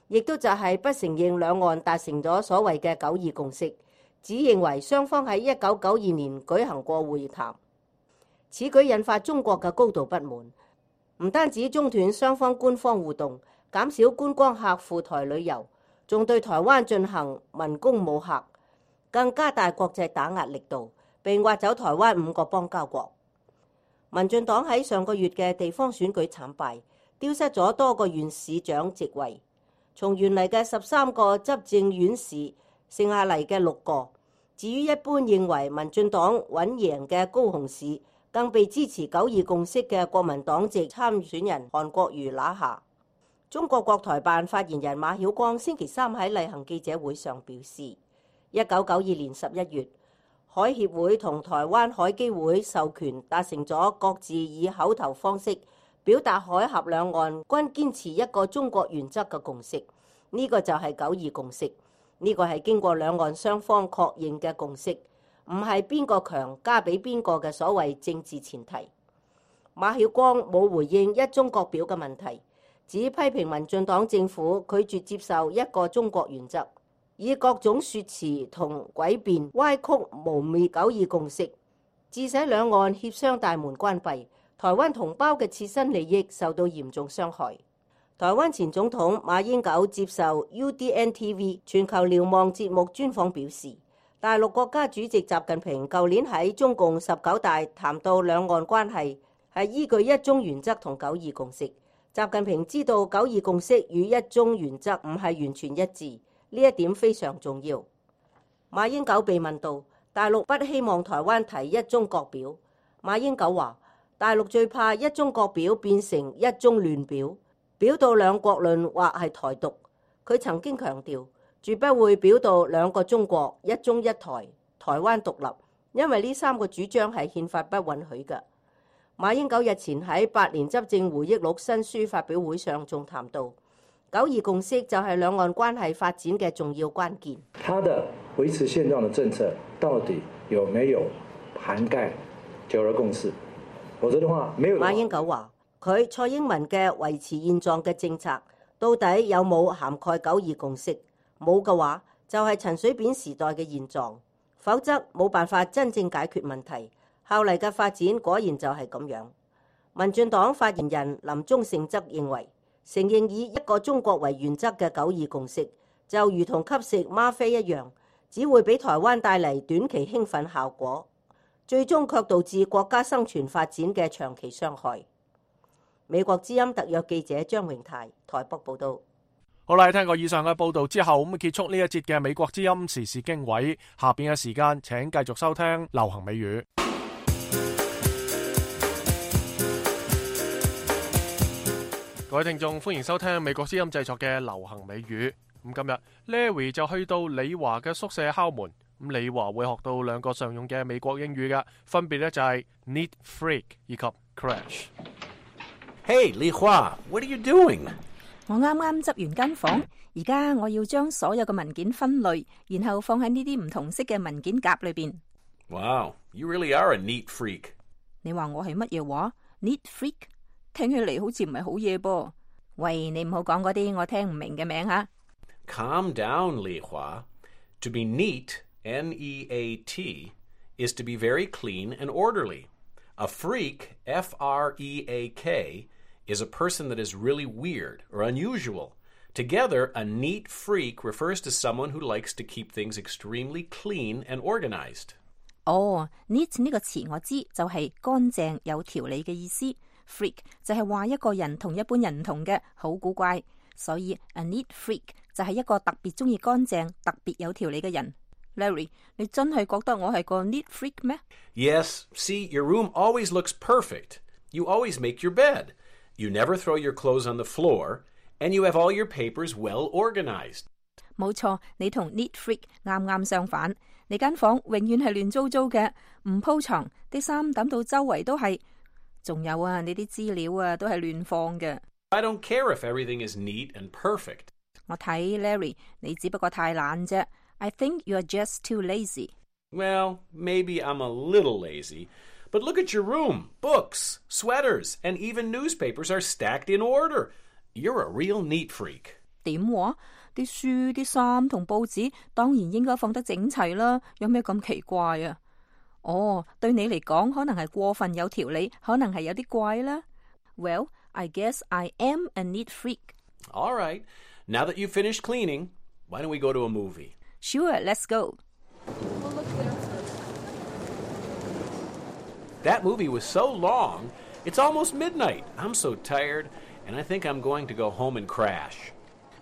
亦都就係不承認兩岸達成咗所謂嘅9·2共識，只認為雙方喺1992年舉行過會談。此舉引發中國嘅高度不滿，唔單止中斷雙方官方互動，減少觀光客赴台旅遊，仲對台灣進行文攻武嚇，更加大國際打壓力度，並挖走台灣5個邦交國。民進黨喺上個月嘅地方選舉慘敗，丟失咗多個縣市長席位，從原嚟嘅13個執政縣市剩下嚟嘅6個。至於一般認為民進黨穩贏嘅高雄市，更被支持9·2共識嘅國民黨籍參選人韓國瑜拿下。中國國台辦發言人馬曉光星期三喺例行記者會上表示，1992年11月，海協會同台灣海基會授權達成咗各自以口頭方式表達海峽兩岸均堅持一個中國原則嘅共識，呢個就係9·2共識。呢個係經過兩岸雙方確認嘅共識，唔係邊個強加俾邊個嘅所謂政治前提。馬曉光冇回應一中國表嘅問題，只批評民進黨政府拒絕接受一個中國原則，以各種說辭同詭辯歪曲污衊9·2共識，致使兩岸協商大門關閉，台灣同胞嘅切身利益受到嚴重傷害。台灣前總統馬英九接受 UDN TV 全球瞭望節目專訪表示，大陸國家主席習近平舊年喺中共19大談到兩岸關係係依據一中原則同9·2共識。習近平知道9·2共識與一中原則唔係完全一致，呢一點非常重要。馬英九被問到大陸不希望台灣提一中國表，馬英九話大陸最怕一中國表變成一中亂表，表到兩國論或係台獨。佢曾經強調絕不會表到兩個中國、一中一台、台灣獨立，因為呢3個主張係憲法不允許嘅。馬英九日前喺8年執政回憶錄新書發表會上仲談到9·2共識就係兩岸關係發展嘅重要關鍵。他的維持現狀的政策到底有沒有涵蓋9·2共識？否則的話，沒有。馬英九話佢蔡英文嘅維持現狀嘅政策到底有冇涵蓋9·2共識？冇嘅話，就係陳水扁時代嘅現狀，否則冇辦法真正解決問題。後嚟嘅發展果然就係咁樣。民進黨發言人林忠勝則認為，承認以一個中國為原則嘅九二共識，就如同吸食嗎啡一樣，只會俾台灣帶嚟短期興奮效果，最終卻導致國家生存發展嘅長期傷害。美國之音特約記者張榮泰台北報道。好啦，聽過以上嘅報道之後，咁結束呢一節嘅美國之音時事經緯。下邊嘅時間，請繼續收聽流行美語。各位聽眾，歡迎收聽美國之音製作嘅流行美語。咁今日 Larry 就去到李華嘅宿舍敲門。咁李華會學到2個常用嘅美國英語嘅，分別咧就係 neat freak 以及 crash。Hey， 李華 ，What are you doing？我啱啱執完間房，而家我要將所有嘅文件分類，然後放喺呢啲唔同色嘅文件夾裏邊。Wow， you really are a neat freak。你話我係乜嘢話 ？Neat freak？ 聽起嚟好似唔係好嘢噃。喂，你唔好講嗰啲我聽唔明嘅名吓。Calm down， 李華。To be neat, N-E-A-T, is to be very clean and orderly. A freak, F-R-E-A-K, is a person that is really weird or unusual. Together, a neat freak refers to someone who likes to keep things extremely clean and organized. 哦 ，neat 呢個詞我知，就係乾淨有條理嘅意思。freak 就係話一個人同一般人唔同嘅，好古怪。所以 a neat freak 就係一個特別中意乾淨、特別有條理嘅人。Larry， 你真係覺得我係個 neat freak 咩？ Yes, see, your room always looks perfect. You always make your bed. You never throw your clothes on the floor, and you have all your papers well organized. 冇錯，你同 neat freak 啱啱相反。你間房永遠係亂糟糟嘅，唔鋪床，啲衫抌到周圍都係。仲有啊，你啲資料啊都係亂放嘅。I don't care if everything is neat and perfect. 我睇 Larry， 你只不過太懶啫。I think you are just too lazy. Well, maybe I'm a little lazy. But look at your room. Books, sweaters, and even newspapers are stacked in order. You're a real neat freak. 點話？啲書、啲衫同報紙當然應該放得整齊啦，有咩咁奇怪啊？哦，對你嚟講可能係過分有條理，可能係有啲怪啦。Well, I guess I am a neat freak. All right. Now that you've finished cleaning, why don't we go to a movie? Sure, let's go. That movie was so long, it's almost midnight. I'm so tired, and I think I'm going to go home and crash.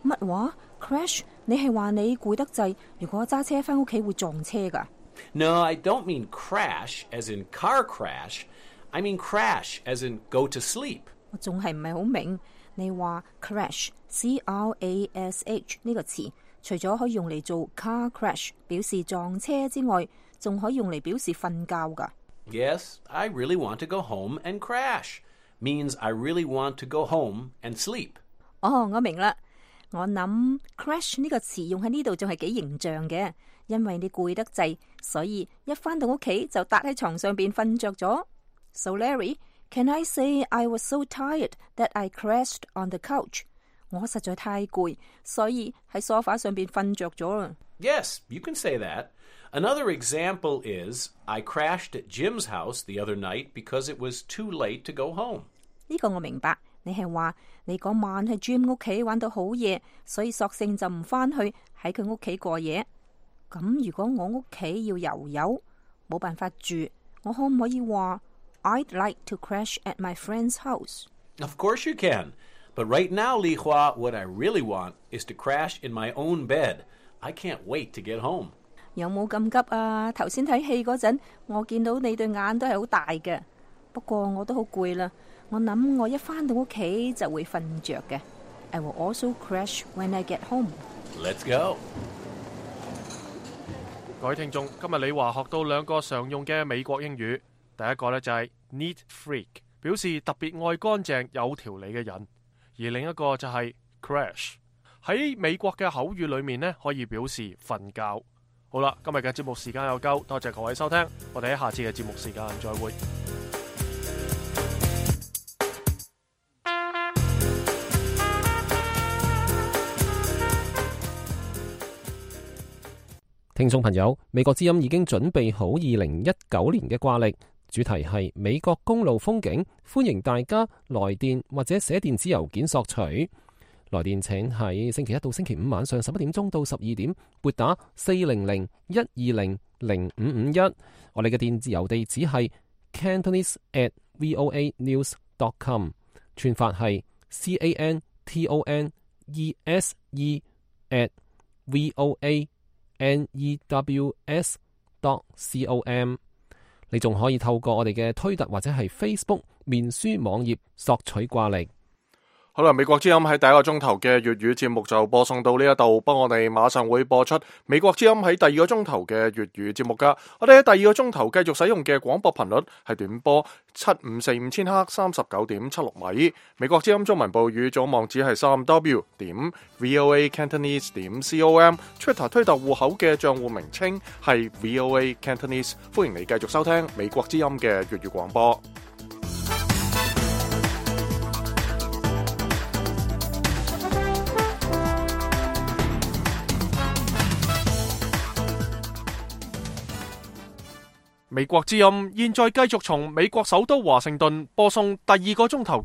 乜話 ？Crash？ 你係話你攰得滯，如果揸車返屋企會撞車㗎？ No, I don't mean crash as in car crash. I mean crash as in go to sleep. 我仲係唔係好明？你話 crash C-R-A-S-H 呢個詞，除咗可以用嚟做 car crash 表示撞車之外，仲可以用嚟表示瞓覺㗎。Yes, I really want to go home and crash. Means I really want to go home and sleep. 哦，我明啦。我諗 crash 呢個詞用喺呢度仲係幾形象嘅，因為你攰得滯，所以一返到屋企就笪喺床上邊瞓着咗。So Larry, can I say I was so tired that I crashed on the couch? 我實在太攰，所以喺梳化上邊瞓着咗啦。Yes, you can say that. Another example is I crashed at Jim's house the other night because it was too late to go home. 呢個我明白，你係話你嗰晚喺 Jim 屋企玩到好夜，所以索性就唔返去喺佢屋企過夜。咁如果我屋企要游遊，冇辦法住，我可唔可以話 I'd like to crash at my friend's house? Of course you can. But right now, Li Hua, what I really want is to crash in my own bed. I can't wait to get home. 有冇咁急啊？頭先睇戲嗰陣，我見到你對眼都係好大嘅。不過我都好攰啦，我諗我一返到屋企就會瞓着嘅。I will also crash when I get home. Let's go. 各位聽眾，今日李華學到2個常用嘅美國英語。第一個呢就係 neat freak， 表示特別愛乾淨有條理嘅人；而另一個就係 crash， 喺美國嘅口語裏面呢可以表示瞓覺。好啦，今日嘅節目時間又夠，多謝各位收聽，我哋喺下次嘅節目時間再會。聽眾朋友，美國之音已經準備好2019年嘅掛曆，主題係美國公路風景，歡迎大家來電或者寫電子郵件索取。來電請喺星期一到星期五晚上11點鐘到12點撥打400-120-0551。我哋嘅電子郵地址係 cantonese@voanews.com， 串法係 cantonese@voanews.com。你仲可以透過我哋嘅推特或者係 Facebook 面書網頁索取掛曆。好啦，美國之音喺第一個鐘頭嘅粵語節目就播送到呢一度，不過我哋馬上會播出美國之音喺第二個鐘頭嘅粵語節目噶。我哋喺第二個鐘頭繼續使用嘅廣播頻率係短波7545千赫 39.76 米。美國之音中文部語組網址係 3w.voacantonese.com，Twitter 推特戶口嘅賬戶名稱係 VOA Cantonese。歡迎你繼續收聽美國之音嘅粵語廣播。美國之音現在繼續從美國首都華盛頓播送第二個鐘頭